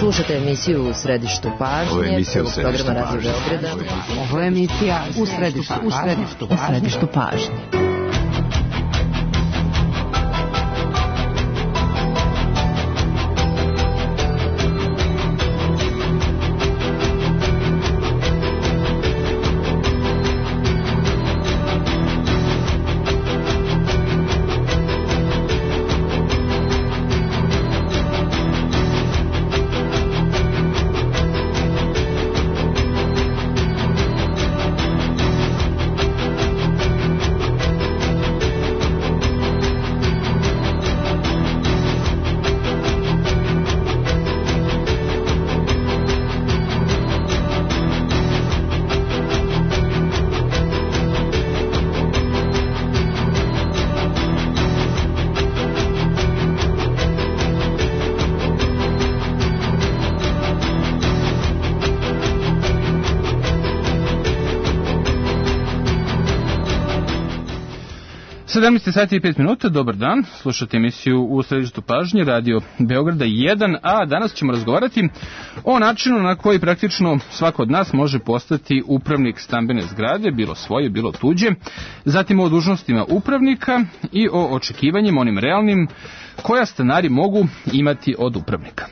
Slušate emisiju U središtu pažnje, prvog programa Radio Beograda. Ovo je emisija U središtu pažnje. Sati i 5 minuta, dobar dan, slušate emisiju U središtu pažnje, Radio Beograda 1, a danas ćemo razgovarati o načinu na koji praktično svako od nas može postati upravnik stambene zgrade, bilo svoje, bilo tuđe, zatim o dužnostima upravnika i o očekivanjima, onim realnim, koja stanari mogu imati od upravnika.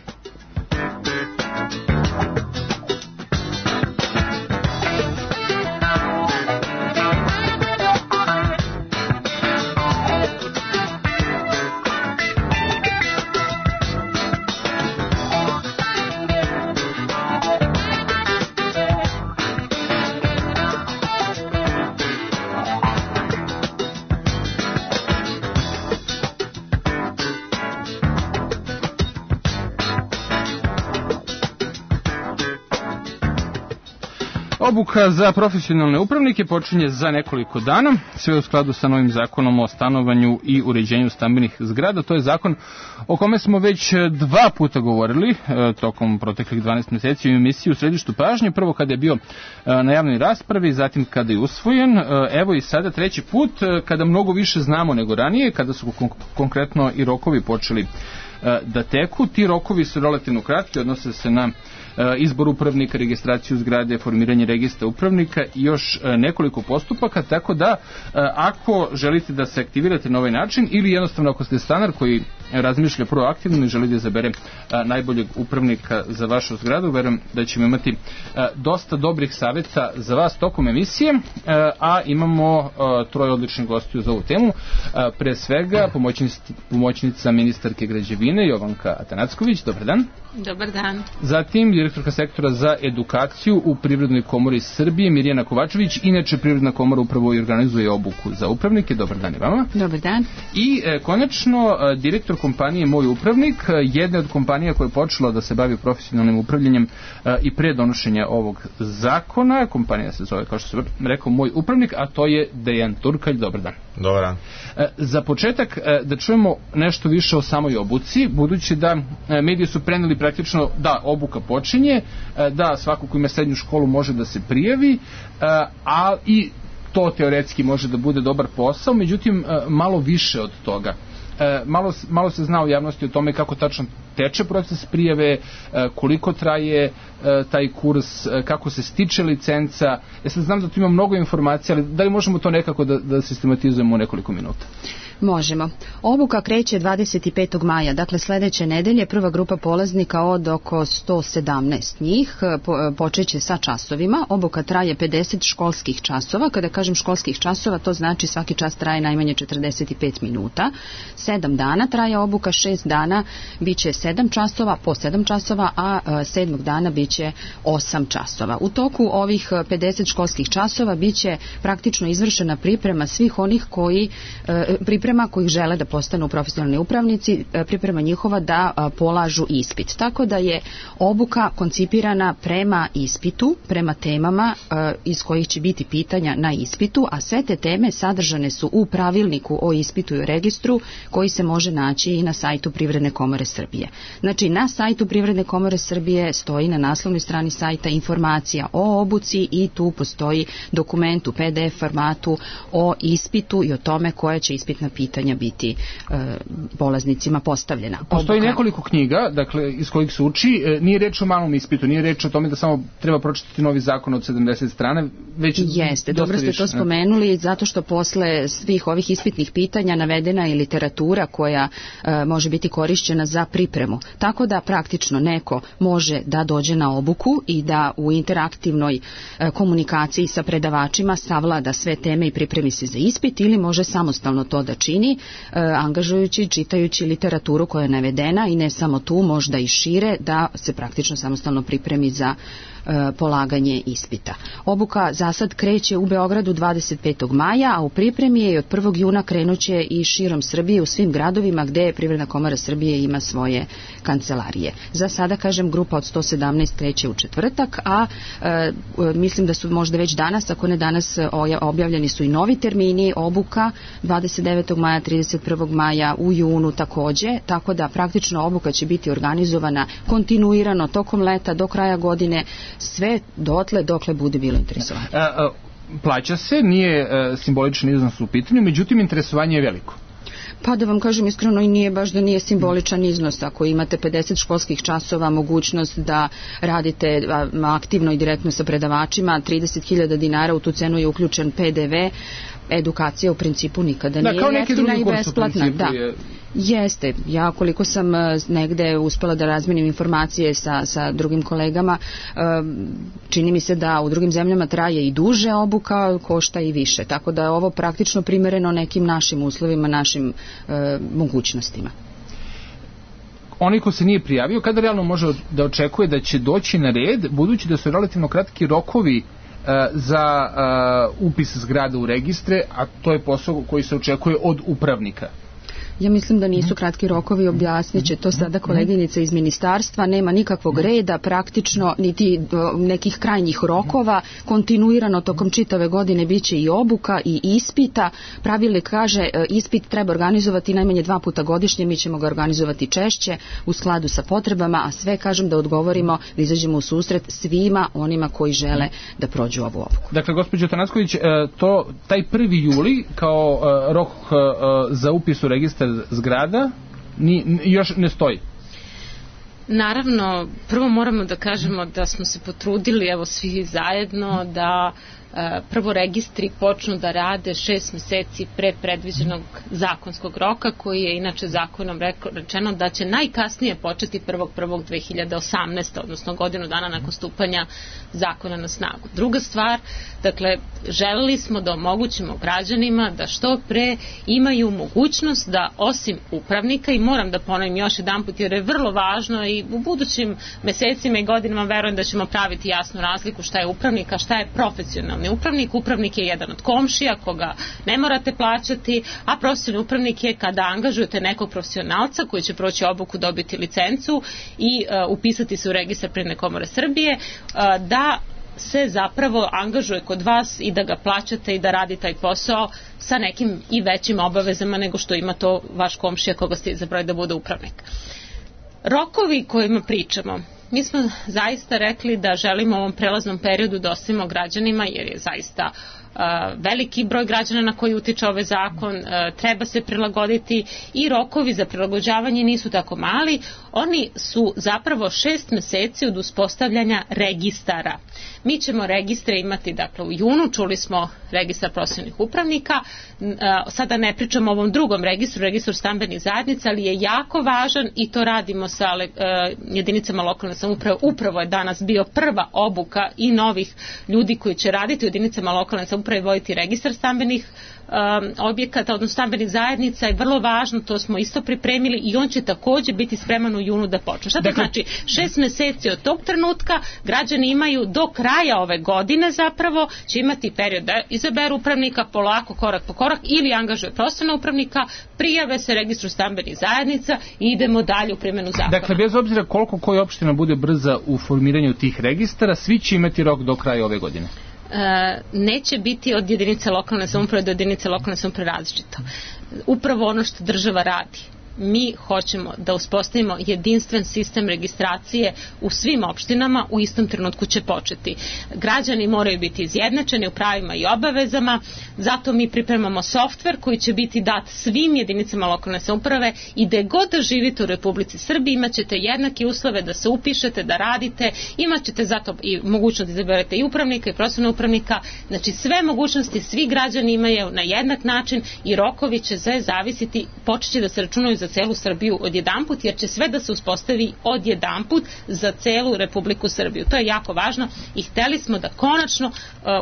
Obuka za profesionalne upravnike počinje za nekoliko dana, sve u skladu sa novim zakonom o stanovanju i uređenju stambenih zgrada. To je zakon o kome smo već 2 puta govorili tokom proteklih 12 meseci u emisiji U središtu pažnje. Prvo kada je bio na javnoj raspravi, zatim kada je usvojen. Evo i sada 3. put kada mnogo više znamo nego ranije, kada su konkretno i rokovi počeli da teku. Ti rokovi su relativno kratki, odnose se na izbor upravnika, registraciju zgrade, formiranje registra upravnika i još nekoliko postupaka, tako da ako želite da se aktivirate na ovaj način ili jednostavno ako ste stanar koji razmišlja proaktivno i želi da izabere najboljeg upravnika za vašu zgradu, verujem da ćemo imati dosta dobrih savjeta za vas tokom emisije, a imamo 3 odličnih gostiju za ovu temu. Pre svega pomoćnica ministarke građevine Jovanka Atanacković, dobar dan. Dobar dan. Zatim direktorka sektora za edukaciju u Privrednoj komori Srbije Mirjana Kovačević, inače Privredna komora upravo i organizuje obuku za upravnike. Dobar dan i vama. Dobar dan. I konačno direktor kompanije Moj upravnik, jedna od kompanija koja je počela da se bavi profesionalnim upravljanjem i pre donošenja ovog zakona. Kompanija se zove, kao što sam rekao, Moj upravnik, a to je Dejan Turkalj. Dobar dan. Dobar dan. Za početak da čujemo nešto više o samoj obuci, budući da mediji su preneli praktično da obuka počinje, da svako ko ima srednju školu može da se prijavi, a i to teoretski može da bude dobar posao, međutim malo više od toga. Malo se zna u javnosti o tome kako tačno teče proces prijave, koliko traje taj kurs, kako se stiče licenca. Ja sad znam da tu ima mnogo informacija, ali da li možemo to nekako da sistematizujemo u nekoliko minuta? Možemo. Obuka kreće 25. maja, dakle sljedeće nedelje. Prva grupa polaznika od oko 117 njih počeće sa časovima. Obuka traje 50 školskih časova. Kada kažem školskih časova, to znači svaki čas traje najmanje 45 minuta. 7 dana traje obuka, 6 dana biće 7 časova, po 7 časova, a 7. dana biće 8 časova. U toku ovih 50 školskih časova biće praktično izvršena priprema svih onih priprema kojih žele da postanu profesionalni upravnici, priprema njihova da polažu ispit. Tako da je obuka koncipirana prema ispitu, prema temama iz kojih će biti pitanja na ispitu, a sve te teme sadržane su u pravilniku o ispitu i registru koji se može naći i na sajtu Privredne komore Srbije. Znači, na sajtu Privredne komore Srbije stoji na naslovnoj strani sajta informacija o obuci i tu postoji dokument u PDF formatu o ispitu i o tome koja će ispitna pitanja biti polaznicima postavljena. Postoji nekoliko knjiga, dakle, iz kojih se uči. Nije reč o malom ispitu, nije reč o tome da samo treba pročitati novi zakon od 70 strana, već jeste, dobro ste to spomenuli, zato što posle svih ovih ispitnih pitanja navedena je literatura koja može biti korišćena za pripremu. Tako da praktično neko može da dođe na obuku i da u interaktivnoj komunikaciji sa predavačima savlada sve teme i pripremi se za ispit, ili može samostalno to da čini, angažujući, čitajući literaturu koja je navedena i ne samo tu, možda i šire, da se praktično samostalno pripremi za polaganje ispita. Obuka za sad kreće u Beogradu 25. maja, a u pripremi je i od 1. juna krenuće i širom Srbije u svim gradovima gde Privredna komora Srbije ima svoje kancelarije. Za sada, kažem, grupa od 117 kreće u četvrtak, a mislim da su možda već danas, ako ne danas, objavljeni su i novi termini obuka 29. maja, 31. maja, u junu takođe, tako da praktično obuka će biti organizovana kontinuirano tokom leta do kraja godine, sve dotle dokle bude bilo interesovanje. Plaća se, nije simboličan iznos u pitanju, međutim interesovanje je veliko. Pa da vam kažem iskreno, i nije baš da nije simboličan iznos. Ako imate 50 školskih časova, mogućnost da radite aktivno i direktno sa predavačima, 30.000 dinara, u tu cenu je uključen PDV, edukacija u principu nikada nije jeftina i besplatna. Da. Jeste. Ja koliko sam negde uspela da razmenim informacije sa drugim kolegama, čini mi se da u drugim zemljama traje i duže obuka, košta i više. Tako da je ovo praktično primereno nekim našim uslovima, našim mogućnostima. Onaj ko se nije prijavio, kada realno može da očekuje da će doći na red, budući da su relativno kratki rokovi za upis zgrada u registre, a to je posao koji se očekuje od upravnika? Ja mislim da nisu kratki rokovi, objasnit će to sada koleginica iz ministarstva, nema nikakvog reda praktično, niti nekih krajnjih rokova, kontinuirano tokom čitave godine biće i obuka i ispita. Pravilnik kaže ispit treba organizovati najmanje 2 puta godišnje, mi ćemo ga organizovati češće u skladu sa potrebama, a sve kažem da odgovorimo, da izađemo u susret svima onima koji žele da prođu ovu obuku. Dakle, gospođo Tanacković, taj 1. juli kao rok za upis u registar zgrada još ne stoji. Naravno, prvo moramo da kažemo da smo se potrudili, evo svi zajedno, da prvo registri počnu da rade 6 meseci pre predviđenog zakonskog roka, koji je inače zakonom rečeno da će najkasnije početi 1.1.2018. odnosno godinu dana nakon stupanja zakona na snagu. Druga stvar, dakle, želeli smo da omogućimo građanima da što pre imaju mogućnost da osim upravnika, i moram da ponovim još jedanput jer je vrlo važno i u budućim mesecima i godinama verujem da ćemo praviti jasnu razliku šta je upravnik, a šta je profesionalni upravnik. Upravnik je jedan od komšija koga ne morate plaćati, a profesionalni upravnik je kada angažujete nekog profesionalca koji će proći obuku, dobiti licencu i upisati se u registar Privredne komore Srbije, da se zapravo angažuje kod vas i da ga plaćate i da radi taj posao sa nekim i većim obavezama nego što ima to vaš komšija koga ste izabrali da bude upravnik. Rokovi kojima pričamo, mi smo zaista rekli da želimo u ovom prelaznom periodu da ostavimo građanima, jer je zaista veliki broj građana na koji utiče ovaj zakon, treba se prilagoditi i rokovi za prilagođavanje nisu tako mali, oni su zapravo 6 meseci od uspostavljanja registara. Mi ćemo registre imati dakle u junu, čuli smo registar profesionalnih upravnika, sada ne pričamo o ovom drugom registru stambenih zajednica, ali je jako važan i to radimo sa jedinicama lokalne samouprave. Upravo je danas bio prva obuka i novih ljudi koji će raditi u jedinicama lokalne samouprave, voditi registar stambenih objekata, odnosno stambenih zajednica, je vrlo važno, to smo isto pripremili i on će takođe biti spreman u junu da počne. Šta to znači? 6 meseci od tog trenutka građani imaju do kraja ove godine zapravo, će imati period da izaberu upravnika polako, korak po korak, ili angažuje profesionalnog upravnika, prijave se registru stambenih zajednica i idemo dalje u primjenu zakona. Dakle, bez obzira koliko koja opština bude brza u formiranju tih registara, svi će imati rok do kraja ove godine. Neće biti od jedinice lokalne samouprave do jedinice lokalne samouprave različito. Upravo ono što država radi. mi hoćemo da uspostavimo jedinstven sistem registracije u svim opštinama, u istom trenutku će početi. Građani moraju biti izjednačeni u pravima i obavezama, zato mi pripremamo softver koji će biti dat svim jedinicama lokalne samouprave i gde god da živite u Republici Srbiji imat ćete jednake uslove da se upišete, da radite, imat ćete zato i mogućnost da izaberete i upravnika i profesionalnog upravnika, znači sve mogućnosti svi građani imaju na jednak način i rokovi će sve zavisiti, počeće da se računaju za celu Srbiju odjedanput, jer će sve da se uspostavi odjedanput za celu Republiku Srbiju. To je jako važno i hteli smo da konačno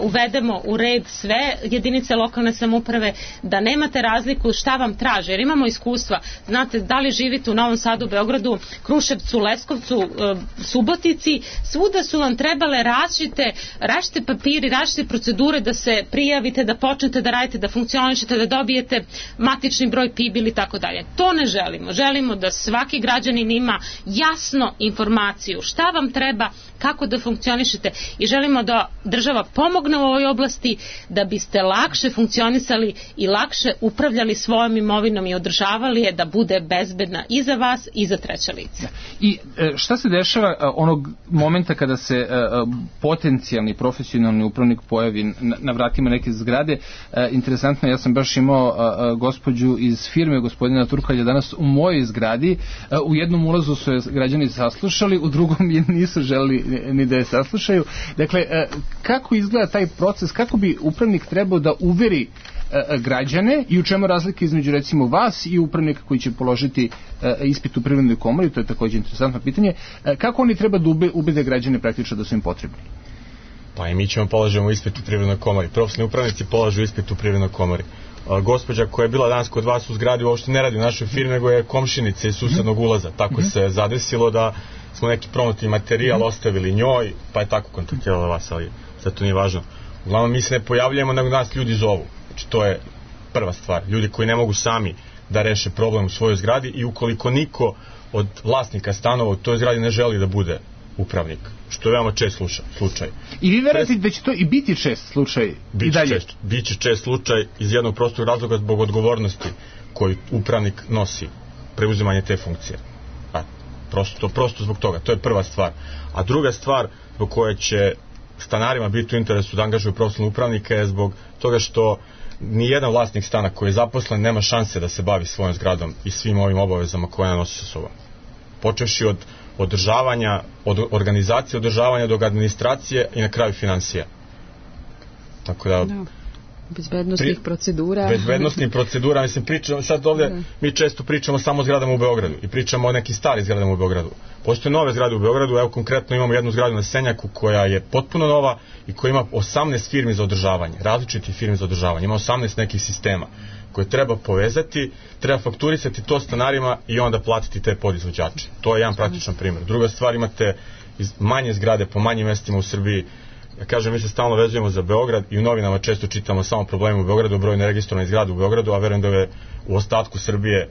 uvedemo u red sve jedinice lokalne samouprave, da nemate razliku šta vam traže, jer imamo iskustva, znate, da li živite u Novom Sadu, Beogradu, Kruševcu, Leskovcu, Subotici, svuda su vam trebale različite papiri, različite procedure da se prijavite, da počnete da radite, da funkcionišete, da dobijete matični broj PIB ili tako dalje. To ne želimo. Želimo da svaki građanin ima jasno informaciju šta vam treba, kako da funkcionišete i želimo da država pomogne u ovoj oblasti da biste lakše funkcionisali i lakše upravljali svojom imovinom i održavali je da bude bezbedna i za vas i za treća lica. I šta se dešava onog momenta kada se potencijalni profesionalni upravnik pojavi na vratima neke zgrade? Interesantno, ja sam baš imao gospođu iz firme gospodina Turkalja danas u mojoj zgradi. U jednom ulazu su je građani saslušali, u drugom je nisu želeli ni da je saslušaju. Dakle, kako izgleda taj proces, kako bi upravnik trebao da uveri građane i u čemu razlika između recimo vas i upravnika koji će položiti ispit u Privrednoj komori, to je također interesantno pitanje, kako oni treba da ubede građane praktično da su im potrebni? Pa i mi ćemo polažemo ispit u Privrednoj komori. Profesionalni upravnici polažu ispit u Privrednoj komori. Gospođa koja je bila danas kod vas u zgradi uopšte ne radi u našoj firmi, nego je komšinica iz susednog ulaza. Tako se zadesilo da smo neki promotivni materijal ostavili njoj, pa je tako kontaktirala vas, ali sad to nije važno. Uglavnom mi se ne pojavljujemo, nego nas ljudi zovu. Znači to je prva stvar. Ljudi koji ne mogu sami da reše problem u svojoj zgradi i ukoliko niko od vlasnika stanova u toj zgradi ne želi da bude upravnik, što je veoma čest slučaj. I vi verujete da će to i biti čest slučaj i dalje? Biće čest slučaj iz jednog prostog razloga zbog odgovornosti koju upravnik nosi, preuzimanje te funkcije. Prosto zbog toga, to je prva stvar. A druga stvar zbog koje će stanarima biti u interesu da angažuju profesionalnog upravnika je zbog toga što ni jedan vlasnik stana koji je zaposlen nema šanse da se bavi svojom zgradom i svim ovim obavezama koje ona nosi sa sobom. Počevši od održavanja, od organizacije održavanja do administracije i na kraju financija. Tako da bezbednostnih procedura. Bezbednostnih procedura, mislim, pričamo, sad ovdje mi često pričamo samo o zgradama u Beogradu i pričamo o nekim starim zgradama u Beogradu. Postoje nove zgrade u Beogradu, evo konkretno imamo jednu zgradu na Senjaku koja je potpuno nova i koja ima 18 firmi za održavanje, različitih firmi za održavanje, ima 18 nekih sistema koje treba povezati, treba fakturisati to stanarima i onda platiti te podizvođače. To je jedan praktičan primjer. Druga stvar, imate manje zgrade po manjim mestima u Srbiji. Ja kažem, mi se stalno vezujemo za Beograd i u novinama često čitamo samo probleme u Beogradu, broj neregistrovanih zgrada u Beogradu, a verujem da je u ostatku Srbije,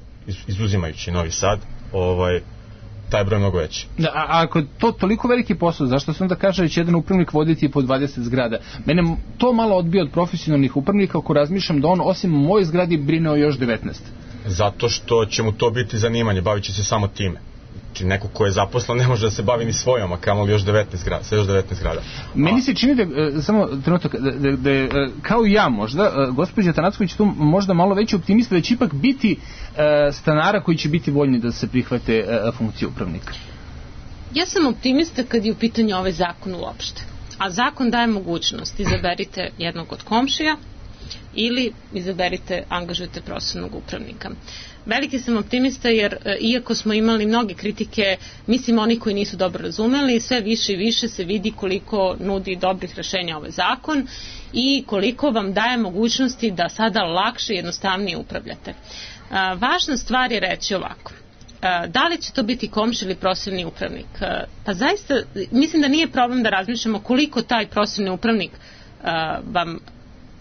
izuzimajući Novi Sad, taj je broj mnogo veći. Da, a ako je to toliko veliki posao, zašto se onda kaže da će jedan upravnik voditi po 20 zgrada? Mene to malo odbija od profesionalnih upravnika ako razmišljam da on osim u mojoj zgradi brine o još 19. Zato što će mu to biti zanimanje, bavit će se samo time. Znači neko ko je zaposlen ne može da se bavi ni svojom, a kamoli još 19 zgrada, sa još 19 zgrada. Meni se čini da, samo trenutak, da kao i ja možda, gospođa Tanacković tu možda malo veći optimista da će ipak biti stanara koji će biti voljni da se prihvate funkcije upravnika. Ja sam optimista kad je u pitanju ovaj zakon uopšte. A zakon daje mogućnost, izaberite jednog od komšija ili izaberite, angažujete profesionalnog upravnika. Veliki sam optimista jer iako smo imali mnoge kritike, mislim oni koji nisu dobro razumeli, sve više i više se vidi koliko nudi dobrih rešenja ovaj zakon i koliko vam daje mogućnosti da sada lakše i jednostavnije upravljate. Važna stvar je reći ovako. Da li će to biti komšija ili profesionalni upravnik? Pa zaista mislim da nije problem da razmišljamo koliko taj profesionalni upravnik vam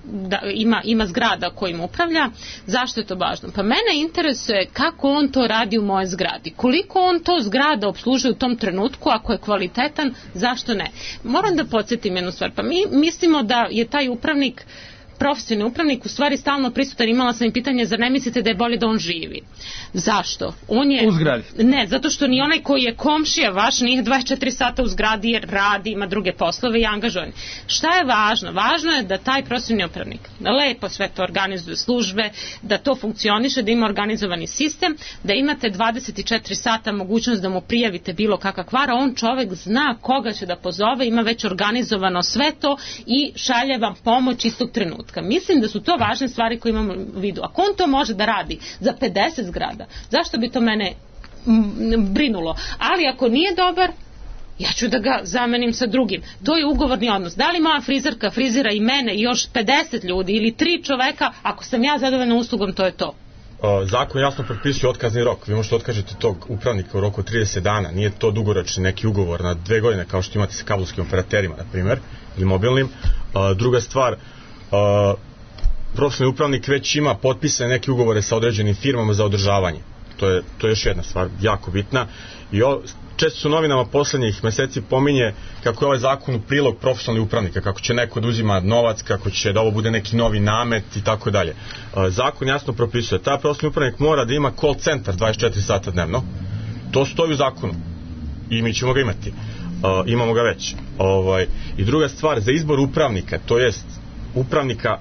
da ima zgrada kojim upravlja. Zašto je to važno? Pa mene interesuje kako on to radi u moje zgradi. Koliko on to zgrada opslužuje u tom trenutku, ako je kvalitetan, zašto ne? Moram da podsjetim jednu stvar. Pa mi mislimo da je taj upravnik profesionalni upravnik u stvari stalno prisutan. Imala sam i pitanje, zar ne mislite da je bolje da on živi? Zašto? On je... U zgradi? Ne, zato što ni onaj koji je komšija vaš nije 24 sata u zgradi jer radi, ima druge poslove i angažovan. Šta je važno? Važno je da taj profesionalni upravnik lepo sve to organizuje službe, da to funkcioniše, da ima organizovani sistem, da imate 24 sata mogućnost da mu prijavite bilo kakva kvara, on čovek zna koga će da pozove, ima već organizovano sve to i šalje vam pomoć istog trenutka. Mislim da su to važne stvari koje imamo u vidu. Ako on to može da radi za 50 zgrada, zašto bi to mene brinulo? Ali ako nije dobar, ja ću da ga zamenim sa drugim. To je ugovorni odnos. Da li moja frizerka frizira i mene i još 50 ljudi ili 3 čoveka, ako sam ja zadovoljna uslugom, to je to. Zakon jasno propisuje otkazni rok. Vi možete otkazati tog upravnika u roku od 30 dana. Nije to dugoročni neki ugovor na 2 godine kao što imate sa kablovskim operaterima, na primjer, ili mobilnim. Druga stvar, profesionalni upravnik već ima potpisane neke ugovore sa određenim firmama za održavanje. To je još jedna stvar jako bitna. I često su novinama poslednjih meseci pominje kako je ovaj zakon u prilog profesionalnih upravnika, kako će neko da uzima novac, kako će da ovo bude neki novi namet i tako dalje. Zakon jasno propisuje, taj profesionalni upravnik mora da ima call centar 24 sata dnevno. To stoji u zakonu i mi ćemo ga imati. Imamo ga već. I druga stvar, za izbor upravnika, to jest upravnika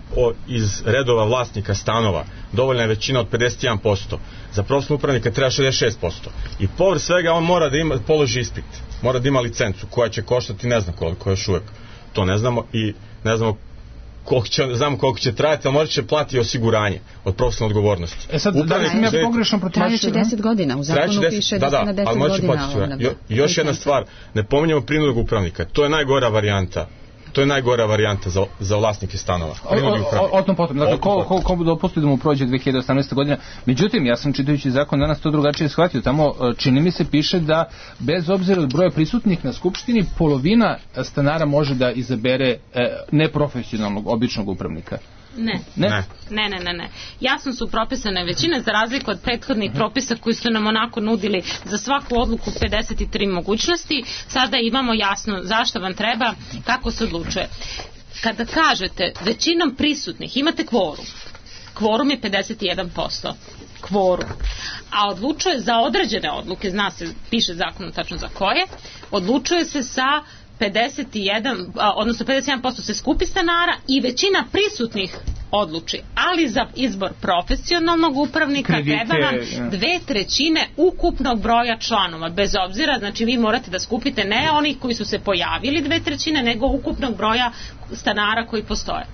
iz redova vlasnika stanova, dovoljna je većina od 51%. Za profesionalnog upravnika treba 66%. I povrh svega on mora da položi ispit. Mora da ima licencu koja će koštati ne znam koliko još uvek. To ne znamo i ne znamo znamo koliko će trajati, ali možda će platiti osiguranje od profesionalne odgovornosti. Sad, da li sam ja pogrešno protumačio? Trajaće 10 godina, u zakonu piše da se na 10 godina. I još jedna stvar, ne pominjamo prinudnog upravnika, to je najgora varijanta. To je najgora varijanta za vlasnike stanova. O tom potom. Dakle, ko dopusti da mu prođe 2018. godina. Međutim, ja sam čitajući zakon danas to drugačije shvatio. Tamo, čini mi se, piše da bez obzira od broja prisutnih na skupštini, polovina stanara može da izabere neprofesionalnog, običnog upravnika. Ne. Jasno su propisane većine za razliku od prethodnih propisa koji su nam onako nudili za svaku odluku 53 mogućnosti. Sada imamo jasno zašto vam treba, kako se odlučuje. Kada kažete većinom prisutnih imate kvorum. Kvorum je 51%. Kvorum. A odlučuje za određene odluke, zna se, piše zakon tačno za koje, odlučuje se sa 51% se skupi stanara i većina prisutnih odluči. Ali za izbor profesionalnog upravnika treba vam 2/3 ukupnog broja članova. Bez obzira, znači vi morate da skupite ne onih koji su se pojavili 2/3, nego ukupnog broja stanara koji postoje.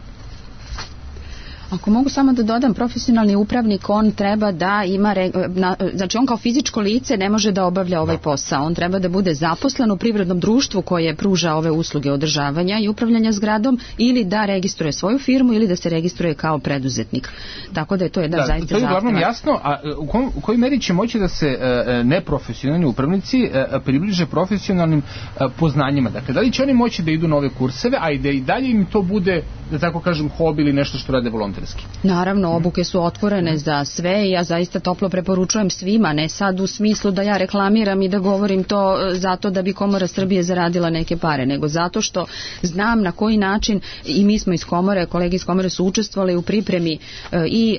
Ako mogu samo da dodam, profesionalni upravnik, on treba da ima, znači on kao fizičko lice ne može da obavlja ovaj posao. On treba da bude zaposlen u privrednom društvu koje pruža ove usluge održavanja i upravljanja zgradom ili da registruje svoju firmu ili da se registruje kao preduzetnik. Tako da je to jedan zaista zahtjev. To je uglavnom jasno, a u kojoj meri će moći da se neprofesionalni upravnici približe profesionalnim poznanjima? Dakle, da li će oni moći da idu na ove kurseve, a i da i dalje im to bude, da tako kažem, hobi ili nešto što rade volonterski? Naravno, obuke su otvorene za sve i ja zaista toplo preporučujem svima, ne sad u smislu da ja reklamiram i da govorim to zato da bi Komora Srbije zaradila neke pare, nego zato što znam na koji način i mi smo iz Komore, kolege iz Komore su učestvovali u pripremi i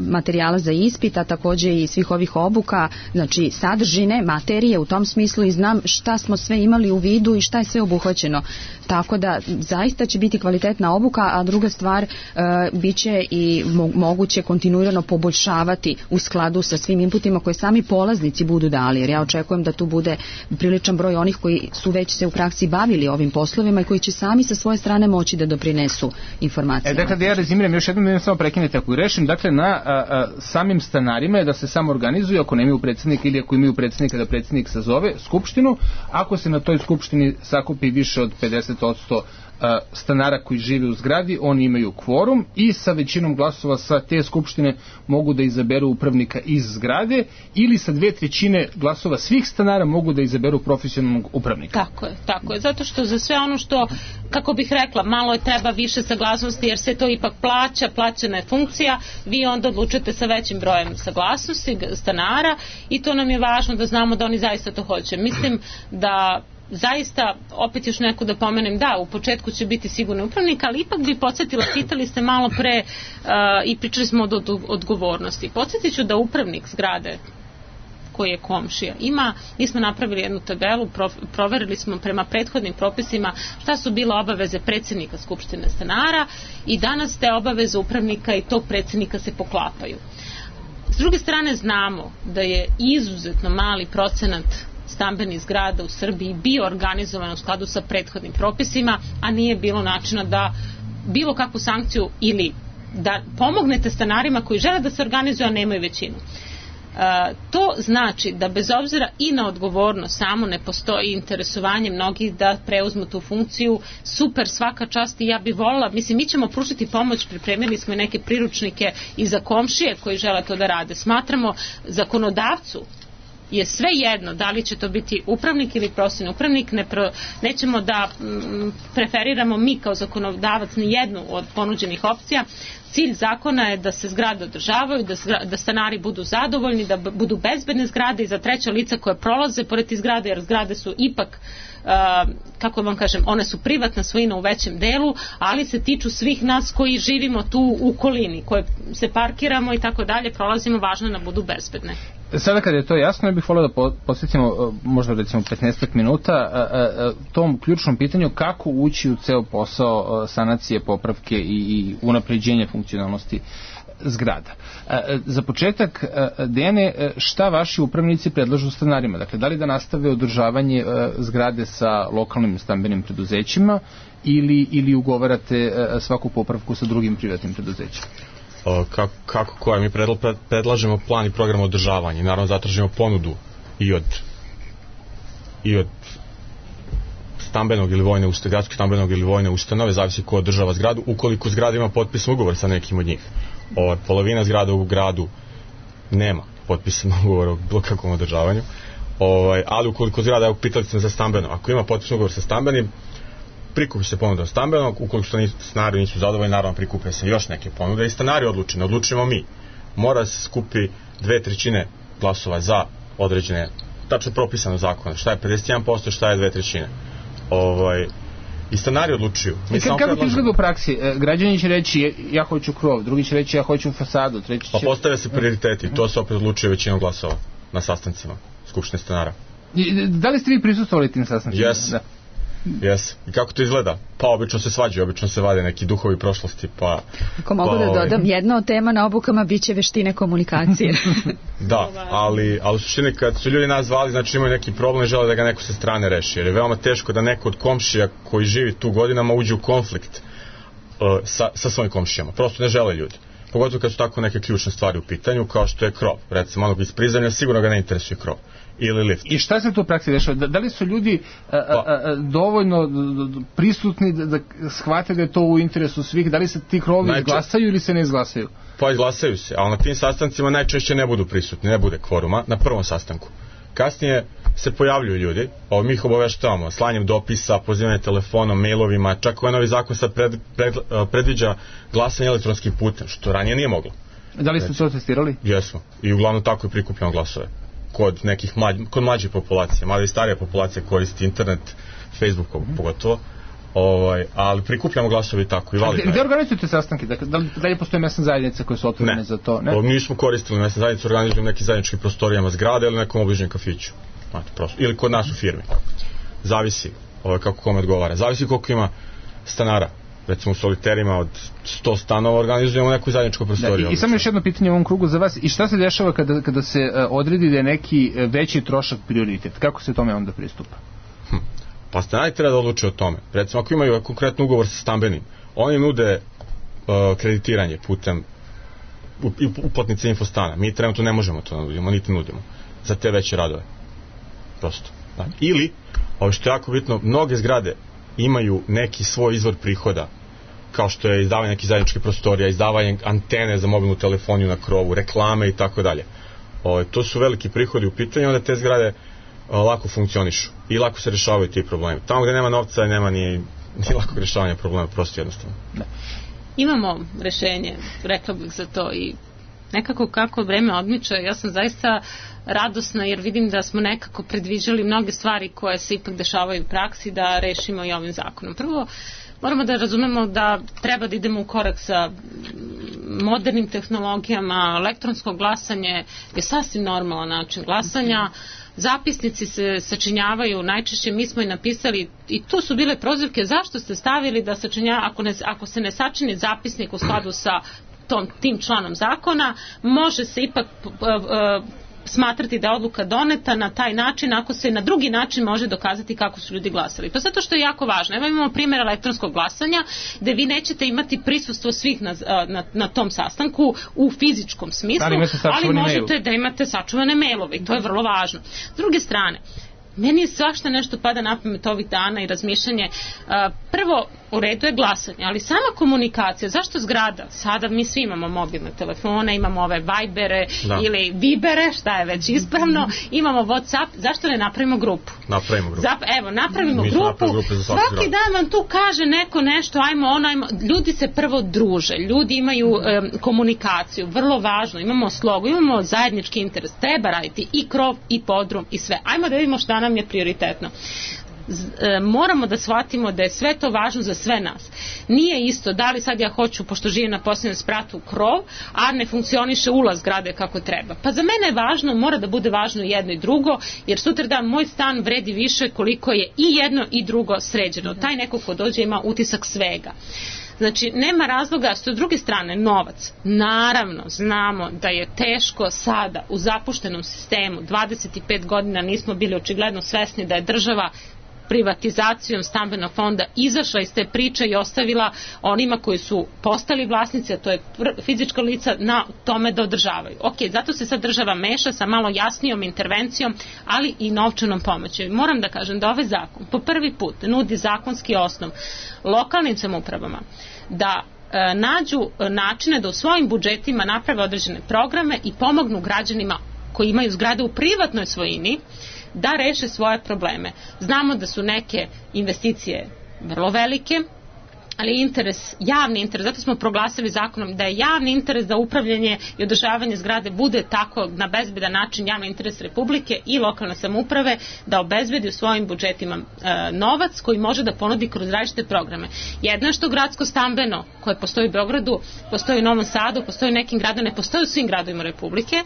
materijala za ispit, a takođe i svih ovih obuka, znači sadržine, materije u tom smislu i znam šta smo sve imali u vidu i šta je sve obuhvaćeno. Tako da zaista će biti kvalitetna obuka, a druga stvar bit će i moguće kontinuirano poboljšavati u skladu sa svim inputima koje sami polaznici budu dali, jer ja očekujem da tu bude priličan broj onih koji su već se u praksi bavili ovim poslovima i koji će sami sa svoje strane moći da doprinesu informacijama. Dakle, da ja rezimiram još jednom, samo prekinete ako i rešim, dakle, na samim stanarima je da se samo organizuju, ako nemaju predsjednika ili ako imaju predsjednika, da predsjednik sazove skupštinu, ako se na toj skupštini sakupi više od 50% stanara koji žive u zgradi, oni imaju kvorum i sa većinom glasova sa te skupštine mogu da izaberu upravnika iz zgrade ili sa 2/3 glasova svih stanara mogu da izaberu profesionalnog upravnika. Tako je, zato što za sve ono što, kako bih rekla, malo je treba više saglasnosti jer se to ipak plaćena je funkcija, vi onda odlučite sa većim brojem saglasnosti stanara i to nam je važno da znamo da oni zaista to hoće. Mislim da zaista, opet još neko da pomenem, da, u početku će biti sigurno upravnik, ali ipak bi podsjetila, pitali ste malo pre i pričali smo od odgovornosti. Podsjetit ću da upravnik zgrade koji je komšija mi smo napravili jednu tabelu, proverili smo prema prethodnim propisima šta su bile obaveze predsjednika Skupštine stanara i danas te obaveze upravnika i tog predsjednika se poklapaju. S druge strane znamo da je izuzetno mali procenat stambenih zgrada u Srbiji bio organizovan u skladu sa prethodnim propisima, a nije bilo načina da bilo kakvu sankciju ili da pomognete stanarima koji žele da se organizuju, a nemaju većinu. To znači da bez obzira i na odgovornost samo ne postoji interesovanje mnogih da preuzmu tu funkciju. Super, svaka čast i ja bih voljela, mislim, mi ćemo pružiti pomoć, pripremili smo neke priručnike i za komšije koji žele to da rade. Smatramo zakonodavcu je sve jedno da li će to biti upravnik ili profesionalni upravnik, nećemo da preferiramo mi kao zakonodavac ni jednu od ponuđenih opcija. Cilj zakona je da se zgrade održavaju, da stanari budu zadovoljni, da budu bezbedne zgrade i za treća lica koje prolaze pored tih zgrade, jer zgrade su ipak, kako vam kažem, one su privatna svojina u većem delu, ali se tiču svih nas koji živimo tu u okolini, koje se parkiramo i tako dalje, prolazimo, važno je da budu bezbedne. Sada kad je to jasno, ja bih volio da posvetimo možda recimo 15 minuta tom ključnom pitanju kako ući u ceo posao sanacije, popravke i unapređenja funkcionalnosti zgrada. Za početak, Dejane, šta vaši upravnici predlažu stanarima? Dakle, da li da nastave održavanje zgrade sa lokalnim stambenim preduzećima ili ugovarate svaku popravku sa drugim privatnim preduzećima? Kako koja? Mi predlažemo plan i program održavanja i naravno zatražimo ponudu i od stambenog ili vojne ustanove, gradskog stambenog ili vojne ustanove, zavisi ko održava zgradu, ukoliko zgrada ima potpisan ugovor sa nekim od njih. Polovina zgrada u gradu nema potpisan ugovor o bilo kakvom održavanju, ali ukoliko zgrada, evo pitali ste me za stambeno, ako ima potpisan ugovor sa stambenim, prikupi se ponuda stambenog, ukoliko stanari nisu zadovoljni, naravno prikupe se još neke ponude i stanari odlučimo mi. Mora se skupi 2/3 glasova za određene, tačno propisano zakona, šta je 51%, šta je 2/3. I stanari odlučuju. Kako to izgleda u praksi? Građani će reći ja hoću krov, drugi će reći ja hoću fasadu, treći će... Pa postavlja se prioriteti, to se opet odlučuje većinom glasova na sastancima Skupštine stanara. Da li ste vi prisustvovali tim sastancima? Yes. Yes. I kako to izgleda? Pa obično se svađaju, obično se vade neki duhovi prošlosti, pa... Ako mogu da dodam, jedna od tema na obukama biće veštine komunikacije. Da, ali u suštini kad su ljudi nas zvali, znači imaju neki problem i žele da ga neko sa strane reši, jer je veoma teško da neko od komšija koji živi tu godinama uđe u konflikt sa svojim komšijama. Prosto ne žele ljudi. Pogotovo kad su tako neke ključne stvari u pitanju, kao što je krov. Recimo, onog iz prizemlja sigurno ga ne interesuje krov. Ili lift. I šta se tu u praksi dešava? Da li su ljudi dovoljno prisutni da shvate da je to u interesu svih? Da li se ti krovi izglasaju ili se ne izglasaju? Pa izglasaju se, ali na tim sastancima najčešće ne budu prisutni, ne bude kvoruma na prvom sastanku. Kasnije se pojavljuju ljudi, mi ih obaveštavamo slanjem dopisa, pozivanje telefonom, mailovima, čak ovaj novi zakon sad predviđa glasanje elektronskim putem, što ranije nije moglo. Da li ste to testirali? Jesmo, i uglavnom tako i prikupljamo glasove. Kod nekih kod mlađe populacije, mada i starija populacija koristi internet, Facebook pogotovo, ali prikupljamo glasovi tako i validno. Gde organizujete sastanke? Da li postoje mesne zajednice koje su otvorene za to? Ne, mi smo koristili mesne zajednice, organizujemo nekim zajedničkim prostorijama zgrade ili nekom obližnjem kafiću. Ili kod nas u firmi. Zavisi kako kome odgovara. Zavisi koliko ima stanara. Recimo u soliterima od 100 stanova organizujemo neku zajedničku prostoriju. I samo još jedno pitanje u ovom krugu za vas. I šta se dešava kada se odredi da je neki veći trošak prioritet? Kako se tome onda pristupa? Pa stanari treba da odluče o tome. Recimo ako imaju konkretno ugovor sa stambenim, oni nude kreditiranje putem uplatnice Infostana. Mi trenutno ne možemo to nudimo, niti nudimo za te veće radove. Prosto. Ili, ovo što je jako bitno, mnoge zgrade imaju neki svoj izvor prihoda, kao što je izdavanje nekih zajedničkih prostorija, izdavanje antene za mobilnu telefoniju na krovu, reklame i tako dalje. To su veliki prihodi u pitanju, onda te zgrade lako funkcionišu i lako se rešavaju ti problemi. Tamo gde nema novca nema ni lako rešavanje problema, prosto jednostavno. Imamo rešenje, rekla bih za to, i nekako kako vreme odmiče, ja sam zaista radosna jer vidim da smo nekako predviđali mnoge stvari koje se ipak dešavaju u praksi da rešimo i ovim zakonom. Prvo, moramo da razumemo da treba da idemo u korak sa modernim tehnologijama, elektronsko glasanje je sasvim normalan način glasanja, zapisnici se sačinjavaju, najčešće mi smo i napisali i tu su bile prozivke zašto ste stavili da ako se ne sačini zapisnik u skladu sa tim članom zakona, može se ipak smatrati da je odluka doneta na taj način ako se na drugi način može dokazati kako su ljudi glasali. Pa zato što je jako važno. Evo imamo primjer elektronskog glasanja gde vi nećete imati prisustvo svih na tom sastanku u fizičkom smislu, ali možete da imate sačuvane mailove i to je vrlo važno. S druge strane, meni svašta nešto pada na pamet ovih dana i razmišljanje. Prvo, u redu je glasanje, ali sama komunikacija, zašto zgrada? Sada mi svi imamo mobilne telefone, imamo ove Vibere ili Vibere, šta je već ispravno, imamo Whatsapp, zašto ne napravimo grupu? Napravimo grupu, svaki dan vam tu kaže neko nešto, ajmo, ljudi se prvo druže, ljudi imaju komunikaciju, vrlo važno, imamo slogu, imamo zajednički interes, treba raditi i krov i podrum i sve, ajmo da vidimo šta nam je prioritetno. Moramo da shvatimo da je sve to važno za sve nas. Nije isto da li sad ja hoću, pošto živim na posljednjem spratu, krov, a ne funkcioniše ulaz zgrade kako treba. Pa za mene je važno, mora da bude važno jedno i drugo, jer sutra da moj stan vredi više koliko je i jedno i drugo sređeno. Taj neko ko dođe ima utisak svega. Znači, nema razloga, s druge strane, novac. Naravno, znamo da je teško sada u zapuštenom sistemu, 25 godina nismo bili očigledno svesni da je država privatizacijom stambenog fonda izašla iz te priče i ostavila onima koji su postali vlasnici, a to je fizička lica, na tome da održavaju. Ok, zato se sad država meša sa malo jasnijom intervencijom, ali i novčanom pomoći. Moram da kažem da ovaj zakon po prvi put nudi zakonski osnov lokalnim samoupravama da nađu načine da u svojim budžetima naprave određene programe i pomognu građanima koji imaju zgrade u privatnoj svojini da reše svoje probleme. Znamo da su neke investicije vrlo velike, ali javni interes, zato smo proglasili zakonom da je javni interes za upravljanje i održavanje zgrade bude tako na bezbedan način javni interes Republike i lokalne samouprave da obezbedi u svojim budžetima novac koji može da ponudi kroz različite programe. Jedno je što gradsko stambeno koje postoji u Beogradu, postoji u Novom Sadu, postoji u nekim gradovima, ne postoji u svim gradovima Republike,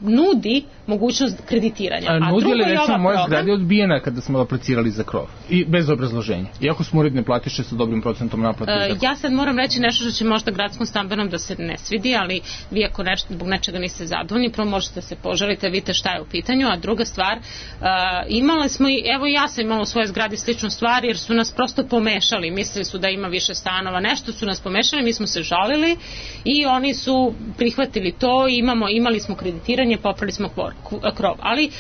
nudi mogućnost kreditiranja. A nudi li recimo moja zgrada je odbijena kada smo aplicirali za krov i bez obrazloženja? Iako smo uredne platiše sa dobrim procentom naplate. Ja sad moram reći nešto što će možda gradskom stambenom da se ne svidi, ali vi ako zbog nečega niste zadovoljni, prvo možete se požaliti, vidite šta je u pitanju, a druga stvar, imali smo i, evo ja sam imala u svojoj zgradi sličnu stvar jer su nas prosto pomešali, mislili su da ima više stanova, nešto su nas pomešali, mi smo se žalili i oni su prihvatili to i imali smo kreditiranje, popravili smo krov, ali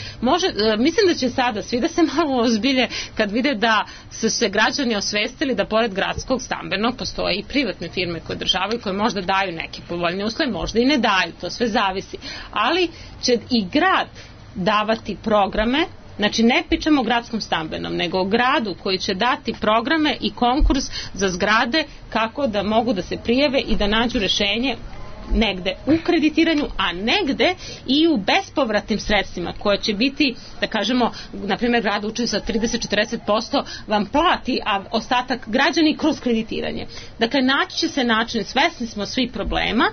mislim da će sada svi da se malo ozbilje kad vide da su se građani osvestili da pored gradskog stambenog postoje i privatne firme koje održavaju, koje možda daju neke povoljne uslove, možda i ne daju, to sve zavisi, ali će i grad davati programe. Znači ne pričamo o gradskom stambenom, nego o gradu koji će dati programe i konkurs za zgrade kako da mogu da se prijave i da nađu rešenje negde u kreditiranju, a negde i u bespovratnim sredstvima koje će biti, da kažemo, na primjer grad uči sa 30-40% vam plati, a ostatak građani kroz kreditiranje. Dakle, naći će se način, svesni smo svih problema,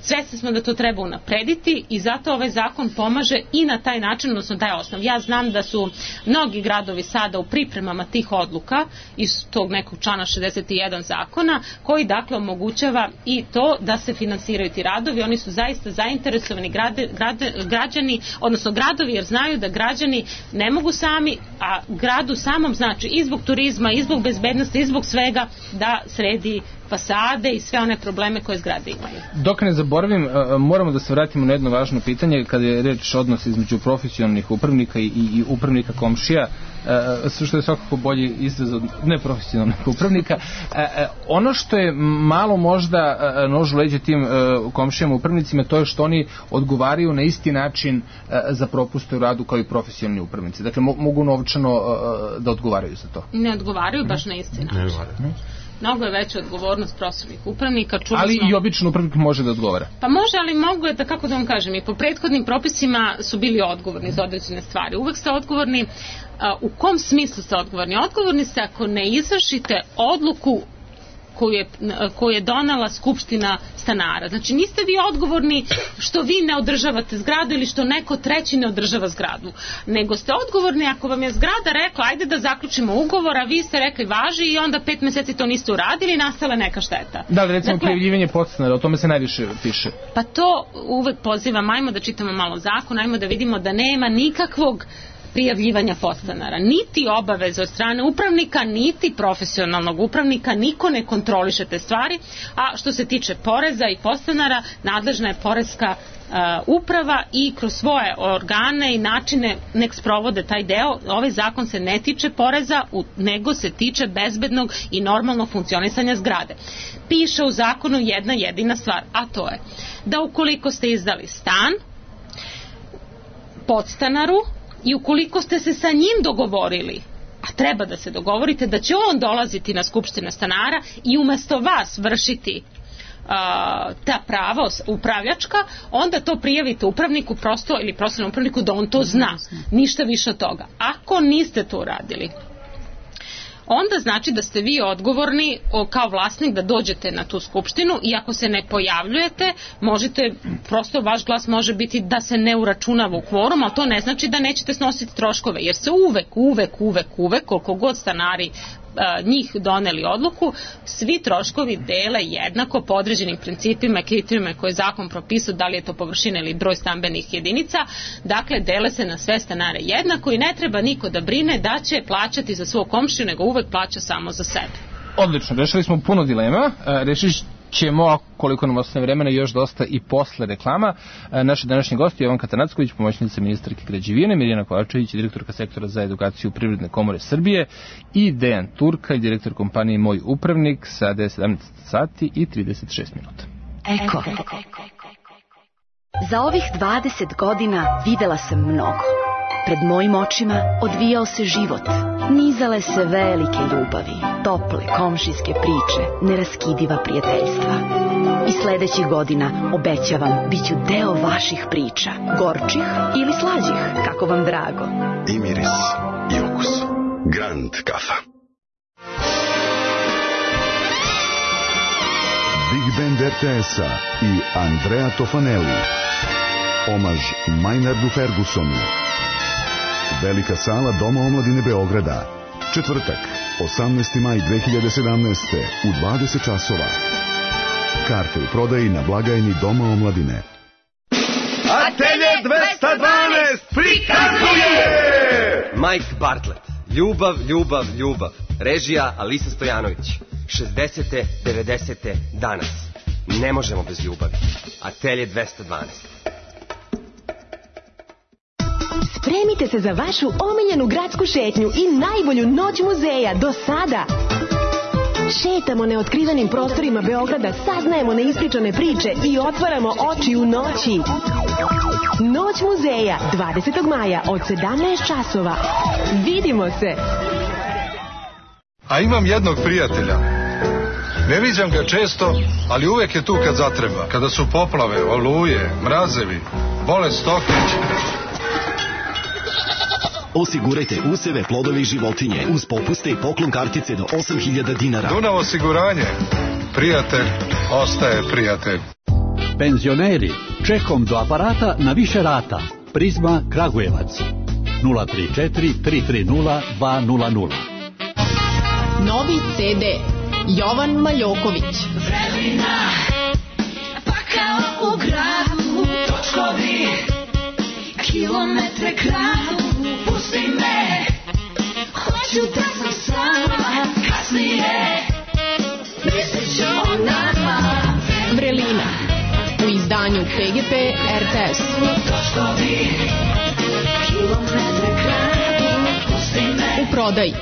svesni smo da to treba unaprediti i zato ovaj zakon pomaže i na taj način, odnosno daje osnov. Ja znam da su mnogi gradovi sada u pripremama tih odluka iz tog nekog člana 61 zakona koji dakle omogućava i to da se finansiraju ti radovi. Oni su zaista zainteresovani građani, odnosno gradovi, jer znaju da građani ne mogu sami, a gradu samom znači i zbog turizma, i zbog bezbednosti, i zbog svega da sredi fasade i sve one probleme koje zgrade imaju. Dok ne zaboravim, moramo da se vratimo na jedno važno pitanje kada je reč odnos između profesionalnih upravnika i upravnika komšija, što je svakako bolji izraz od neprofesionalnih upravnika. Ono što je malo možda nož u leđa tim komšijama upravnicima, to je što oni odgovaraju na isti način za propuste u radu kao i profesionalni upravnici. Dakle, mogu novčano da odgovaraju za to. Ne odgovaraju baš na isti način. Mnogo je veća odgovornost profesionalnih upravnika. Ali i običan upravnik može da odgovara. Pa može, ali mogu je da, kako da vam kažem, i po prethodnim propisima su bili odgovorni za određene stvari. Uvek ste odgovorni. U kom smislu ste odgovorni? Odgovorni ste ako ne izvršite odluku koju je donela Skupština stanara. Znači niste vi odgovorni što vi ne održavate zgradu ili što neko treći ne održava zgradu, nego ste odgovorni ako vam je zgrada rekla ajde da zaključimo ugovor, a vi ste rekli važi i onda 5 meseci to niste uradili i nastala neka šteta. Da li recimo prijavljivanje podstanara, o tome se najviše piše? Pa to uvek pozivam, ajmo da čitamo malo zakon, ajmo da vidimo da nema nikakvog prijavljivanja podstanara, niti obaveze od strane upravnika, niti profesionalnog upravnika, niko ne kontroliše te stvari, a što se tiče poreza i podstanara, nadležna je poreska uprava i kroz svoje organe i načine nek sprovode taj deo. Ovaj zakon se ne tiče poreza, nego se tiče bezbednog i normalnog funkcionisanja zgrade. Piše u zakonu jedna jedina stvar, a to je da ukoliko ste izdali stan podstanaru i ukoliko ste se sa njim dogovorili, a treba da se dogovorite da će on dolaziti na skupštinu stanara i umesto vas vršiti ta prava upravljačka, onda to prijavite upravniku prosto ili profesionalnom upravniku da on to zna. Ništa više od toga. Ako niste to uradili, onda znači da ste vi odgovorni kao vlasnik da dođete na tu skupštinu i ako se ne pojavljujete, možete, prosto vaš glas može biti da se ne uračunava u kvorum, ali to ne znači da nećete snositi troškove, jer se uvek, koliko god stanari njih doneli odluku, svi troškovi dele jednako po određenim principima i kriterijima koje zakon propisao, da li je to površina ili broj stambenih jedinica, dakle dele se na sve stanare jednako i ne treba niko da brine da će plaćati za svog komšiju, nego uvek plaća samo za sebe. Odlično, rešili smo puno dilema, rešili ćemo, koliko nam ostane vremena, još dosta i posle reklama. Naši današnji gosti Jovanka Tanacković, pomoćnica ministarke građevine, Mirjana Kovačević, direktorka sektora za edukaciju Privredne komore Srbije i Dejan Turkalj, direktor kompanije Moj upravnik, sada je 17 sati i 36 minuta. Eko. Za ovih 20 godina videla sam mnogo. Pred mojim očima odvijao se život. Nizale se velike ljubavi, tople komšijske priče, neraskidiva prijateljstva. I sledećih godina, obećavam, bit ću deo vaših priča, gorčih ili slađih, kako vam drago. I miris, i okus. Grand kafa. Big Band RTS-a i Andrea Tofanelli. Omaž Maynardu Fergusonu. Velika sala Doma omladine Beograda. Četvrtak, 18. maj 2017. u 20 časova. Karte u prodaji na blagajni Doma omladine. Atelje 212 prikazuje Mike Bartlett. Ljubav, ljubav, ljubav. Režija Alisa Stojanović. 60. 90. danas. Ne možemo bez ljubavi. Atelje 212. Spremite se za vašu omiljenu gradsku šetnju i najbolju noć muzeja do sada. Šetamo neotkrivenim prostorima Beograda, saznajemo neispričane priče i otvaramo oči u noći. Noć muzeja 20. maja od 17 časova. Vidimo se! A imam jednog prijatelja. Ne viđam ga često, ali uvek je tu kad zatreba. Kada su poplave, oluje, mrazevi, bolest stoke. Osigurajte useve, plodove i životinje uz popuste i poklon kartice do 8.000 dinara. Dunav osiguranje. Prijatelj ostaje prijatelj. Penzioneri, čekom do aparata na više rata. Prizma Kragujevac. 034 330 200. Novi CD Jovan Maljoković. Vrelina, pa kao u gradu, točkovi, kilometre kradu, pusti me, hoću da sam sama, kasnije, mislit ću o nama. Vrelina, u izdanju PGP RTS. Točkovi, kilometre kradu, pusti me. U prodaji.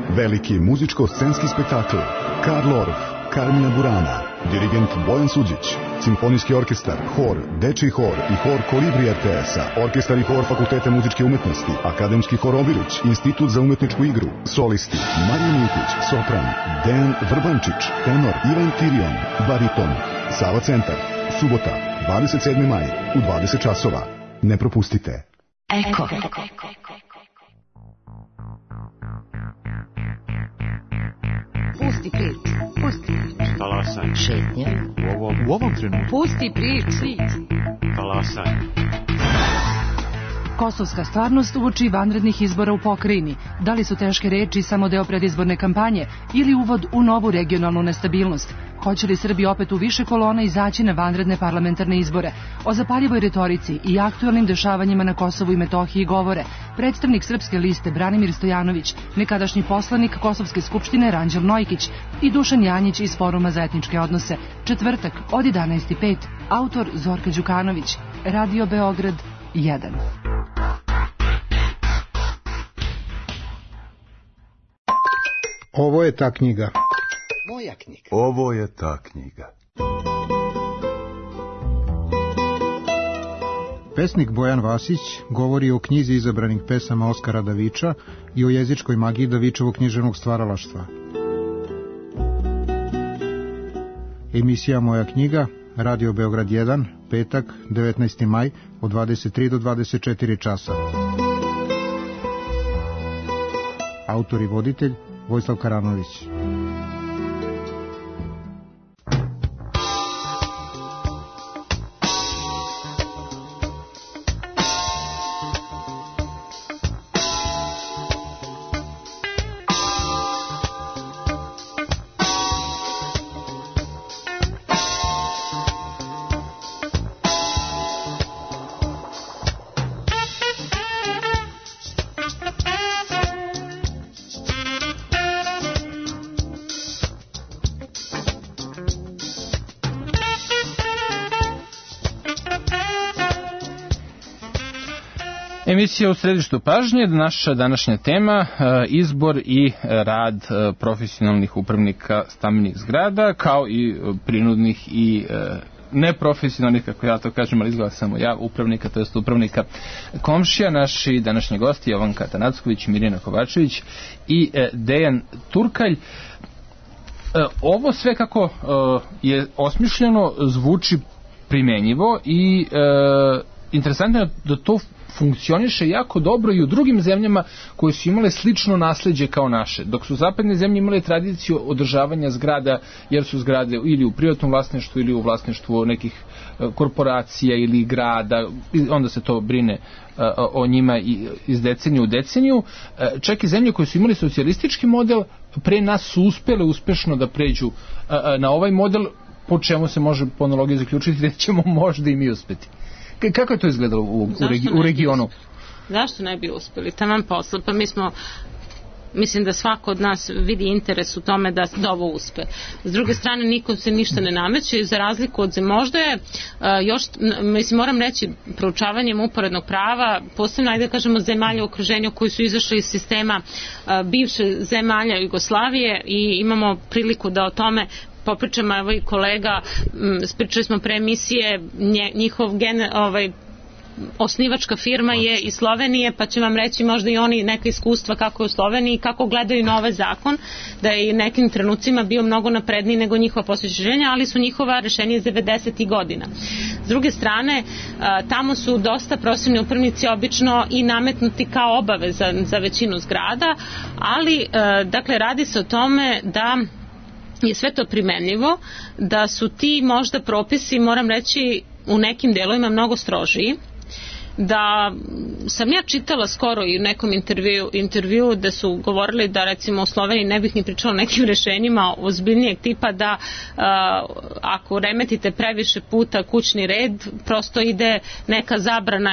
Veliki muzičko-scenski spektakl Karl Orff, Carmina Burana, Dirigent Bojan Suđić. Simfonijski orkestar, hor, dečiji hor i hor Kolibri RTS-a, orkestar i hor Fakulteta muzičke umetnosti, akademski hor Obilić, Institut za umetničku igru, solisti Marija Mijković, sopran, Dejan Vrbančić, tenor Ivan Tirion, bariton, Sava Centar, subota, 27. maj, u 20 časova. Ne propustite. Eko. Pusti priču. Talasanje. Šetnja. U ovom trenutku. Pusti priču. Talasanje. Kosovska stvarnost uoči vanrednih izbora u pokrajini. Da li su teške reči samo deo predizborne kampanje ili uvod u novu regionalnu nestabilnost? Hoće li Srbi opet u više kolona izaći na vanredne parlamentarne izbore? O zapaljivoj retorici i aktualnim dešavanjima na Kosovu i Metohiji govore predstavnik Srpske liste Branimir Stojanović, nekadašnji poslanik Kosovske skupštine Ranđel Nojkić i Dušan Janjić iz Foruma za etničke odnose. Četvrtak od 11:05. Autor Zorka Đukanović. Radio Beograd 1. Ovo je ta knjiga. Moja knjiga. Ovo je ta knjiga. Pesnik Bojan Vasić govori o knjizi izabranih pesama Oskara Daviča i o jezičkoj magiji Davičevog književnog stvaralaštva. Emisija Moja knjiga, Radio Beograd 1, petak, 19. maj, od 23 do 24 časa. Autor i voditelj Vojislav Karanović. Emisija u središtu pažnje, naša današnja tema, izbor i rad profesionalnih upravnika stambenih zgrada, kao i prinudnih i neprofesionalnih, kako ja to kažem, ali izgleda samo ja, upravnika, to jest upravnika komšija. Naši današnji gosti Jovanka Tanacković, Mirjana Kovačević i Dejan Turkalj. Ovo sve kako je osmišljeno zvuči primenjivo i interesantno je da to funkcioniše jako dobro i u drugim zemljama koje su imale slično nasleđe kao naše. Dok su zapadne zemlje imale tradiciju održavanja zgrada, jer su zgrade ili u privatnom vlasništvu ili u vlasništvu nekih korporacija ili grada, onda se to brine o njima iz deceniju u deceniju. Čak i zemlje koje su imali socijalistički model pre nas su uspele uspešno da pređu na ovaj model, po čemu se može po analogiji zaključiti da ćemo možda i mi uspeti. Kako je to izgledalo u regionu? Zašto ne bi uspeli? Taman posla. Pa mi smo, mislim da svako od nas vidi interes u tome da ovo uspe. S druge strane, niko se ništa ne nameće, za razliku od možda je još, mislim, moram reći, proučavanjem uporednog prava, posebno, ajde da kažemo, zemalja u okruženju koji su izašli iz sistema bivše zemalja Jugoslavije i imamo priliku da o tome popričamo, evo i kolega, pričali smo pre emisije, njihov osnivačka firma je iz Slovenije, pa će vam reći možda i oni neka iskustva kako je u Sloveniji i kako gledaju na ovaj zakon, da je i nekim trenucima bio mnogo napredniji nego njihova posvećenja, ali su njihova rešenja iz 90. godina. S druge strane, tamo su dosta profesionalni upravnici obično i nametnuti kao obaveza za većinu zgrada, ali dakle radi se o tome da je sve to primenljivo, da su ti možda propisi, moram reći, u nekim delovima mnogo strožiji, da sam ja čitala skoro i u nekom intervju da su govorili da recimo u Sloveniji ne bih ni pričala o nekim rešenjima ozbiljnijeg tipa, da ako remetite previše puta kućni red, prosto ide neka zabrana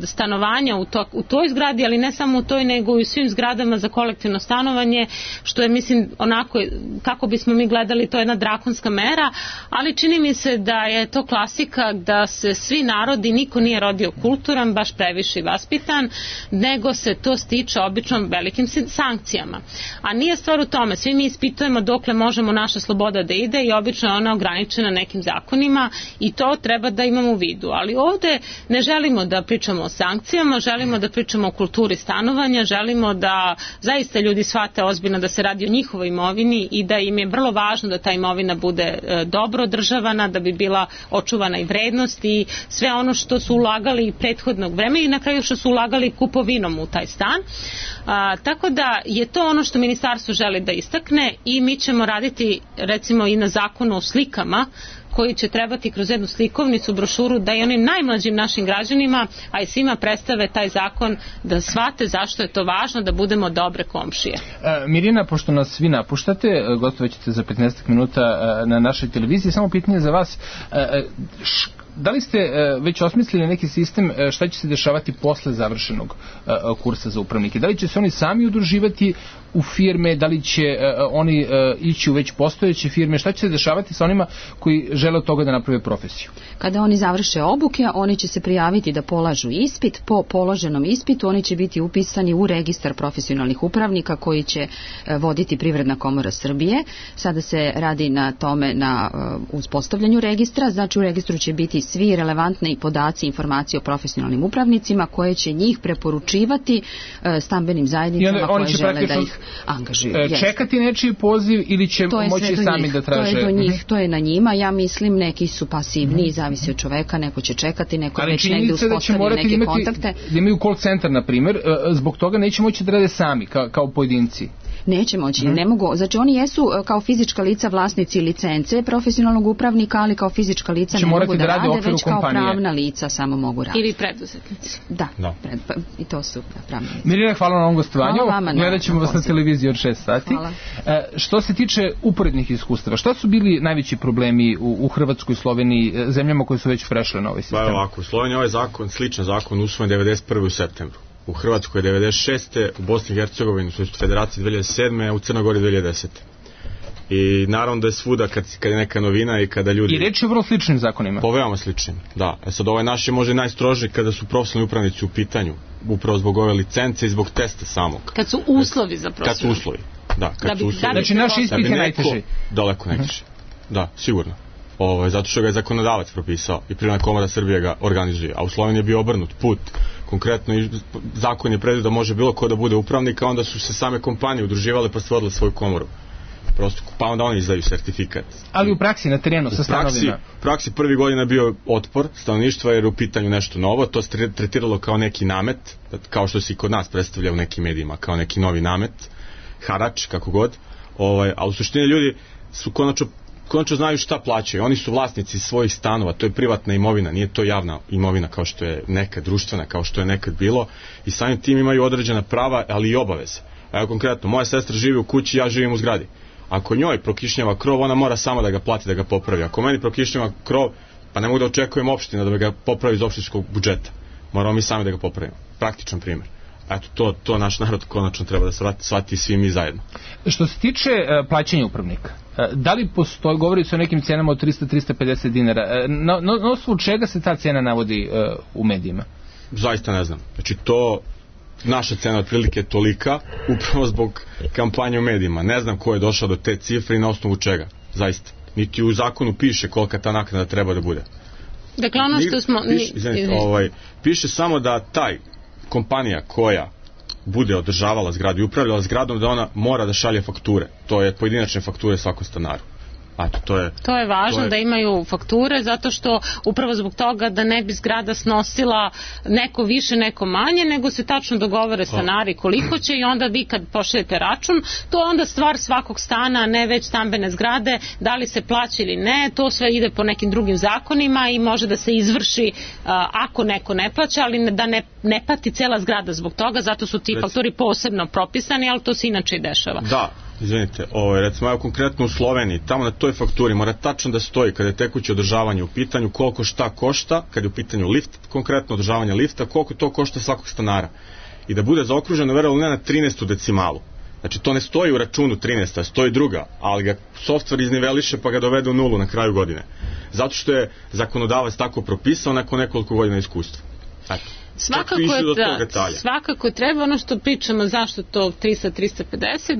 stanovanja u toj zgradi, ali ne samo u toj nego i u svim zgradama za kolektivno stanovanje, što je, mislim, onako kako bismo mi gledali, to je jedna drakonska mera, ali čini mi se da je to klasika da se svi narodi, niko nije rodio kulturan, baš previše i ispitan, nego se to stiče obično velikim sankcijama. A nije stvar u tome, svi mi ispitujemo dokle možemo naša sloboda da ide i obično je ona ograničena nekim zakonima i to treba da imamo u vidu. Ali ovde ne želimo da pričamo o sankcijama, želimo da pričamo o kulturi stanovanja, želimo da zaista ljudi shvate ozbiljno da se radi o njihovoj imovini i da im je vrlo važno da ta imovina bude dobro održavana, da bi bila očuvana i vrednost i sve ono što su ulagali prethodnog vremena i na kraju što su ulagali kupovinom u taj stan. Tako da je to ono što ministarstvo želi da istakne i mi ćemo raditi recimo i na zakonu o slikama koji će trebati kroz jednu slikovnicu, brošuru, da i onim najmlađim našim građanima, a i svima predstave taj zakon, da shvate zašto je to važno da budemo dobre komšije. Mirjana, pošto nas svi napuštate, gostovaćete za 15 minuta na našoj televiziji, samo pitanje za vas, da li ste već osmislili neki sistem šta će se dešavati posle završenog kursa za upravnike? Da li će se oni sami udruživati u firme, da li će oni ići u već postojeće firme, šta će se dešavati sa onima koji žele od toga da naprave profesiju? Kada oni završe obuke, oni će se prijaviti da polažu ispit. Po položenom ispitu oni će biti upisani u registar profesionalnih upravnika koji će voditi Privredna komora Srbije. Sada se radi na tome, na uspostavljanju registra, znači u registru će biti svi relevantni podaci, informacije o profesionalnim upravnicima koje će njih preporučivati stambenim zajednicama koje žele da ih angažuju. Čekati nečiji poziv ili će moći sami da traže? To je do njih, to je na njima. Ja mislim neki su pasivni, zavisi od čoveka, neko će čekati, neko već negdje uspostavio neke kontakte. Da imaju call centar, na primjer, zbog toga neće moći da rade sami, kao pojedinci. Neće moći, ne mogu. Znači oni jesu kao fizička lica vlasnici licence profesionalnog upravnika, ali kao fizička lica ne mogu da rade, već kao pravna lica samo mogu raditi. Ili preduzetnici. Da. I to su pravna lica. Mirjana, hvala na ovom gostovanju. Gledat ćemo vas na televiziji od 6 sati. Hvala. Što se tiče uporednih iskustava, šta su bili najveći problemi u Hrvatskoj, Sloveniji, zemljama koje su već prešle na ovaj sistem? Ovako, u Sloveniji ovaj zakon, sličan zakon, usvojen 91. u septembru. U Hrvatskoj 96. u Bosni i Hercegovini, u Federaciji 2007. a u Crnogori 2010. I naravno da je svuda kad je neka novina i kada ljudi... I reč je o vrlo sličnim zakonima. Veoma sličnim, da. Sad ovaj naš je možda najstroži kada su profesionalni upravnici u pitanju, upravo zbog ove licence i zbog testa samog. Kad su uslovi za profesionalni. Kad su uslovi, da. Kad su uslovi. Znači naš ispit je najteži. Daleko najteži, da, sigurno. Zato što ga je zakonodavac propisao i Privredna komora Srbije ga organizuje, a u Sloveniji je bio obrnut put. Konkretno zakon je predvidio da može bilo ko da bude upravnik, a onda su se same kompanije udruživale pa stvorile svoju komoru. Prosto, pa onda oni izdaju sertifikat. Ali u praksi, na terenu, sa stanovima? U praksi prvi godina je bio otpor stanovništva jer je u pitanju nešto novo, to se tretiralo kao neki namet, kao što se i kod nas predstavlja u nekim medijima, kao neki novi namet, harač, kako god, a u suštini ljudi su konačno znaju šta plaćaju. Oni su vlasnici svojih stanova, to je privatna imovina, nije to javna imovina kao što je nekad društvena, kao što je nekad bilo i samim tim imaju određena prava, ali i obaveze. Evo konkretno, moja sestra živi u kući, ja živim u zgradi. Ako njoj prokišnjava krov, ona mora sama da ga plati, da ga popravi. Ako meni prokišnjava krov, pa ne mogu da očekujem opština da ga popravi iz opštinskog budžeta. Moramo mi sami da ga popravimo. Praktičan primjer. Eto, to naš narod konačno treba da shvati svi mi zajedno. Što se tiče plaćanja upravnika, da li postoji, govori se o nekim cenama od 300-350 dinara, na osnovu čega se ta cena navodi u medijima? Zaista ne znam. Znači to, naša cena otprilike je tolika, upravo zbog kampanje u medijima. Ne znam ko je došao do te cifre i na osnovu čega. Zaista. Niti u zakonu piše kolika ta naknada treba da bude. Dakle, ono što smo... Piše samo da kompanija koja bude održavala zgradu i upravljala zgradom, da ona mora da šalje fakture. To je pojedinačne fakture svakom stanaru. To je važno da imaju fakture, zato što upravo zbog toga da ne bi zgrada snosila neko više, neko manje, nego se tačno dogovore stanari koliko će i onda vi kad pošaljete račun, to je onda stvar svakog stana, ne već stambene zgrade, da li se plaća ili ne, to sve ide po nekim drugim zakonima i može da se izvrši ako neko ne plaća, ali da ne pati cela zgrada zbog toga, zato su ti faktori posebno propisani, ali to se inače i dešava. Da. Izvinite, recimo konkretno u Sloveniji, tamo na toj fakturi mora tačno da stoji kada je tekuće održavanje u pitanju, koliko šta košta, kada je u pitanju lift, konkretno održavanje lifta, koliko to košta svakog stanara. I da bude zaokruženo, verovali ne, na 13. decimalu. Znači to ne stoji u računu 13. stoji druga, ali ga softver izniveliše pa ga dovede u nulu na kraju godine. Zato što je zakonodavac tako propisao nakon nekoliko godina iskustva. Svakako treba, ono što pričamo zašto to 300-350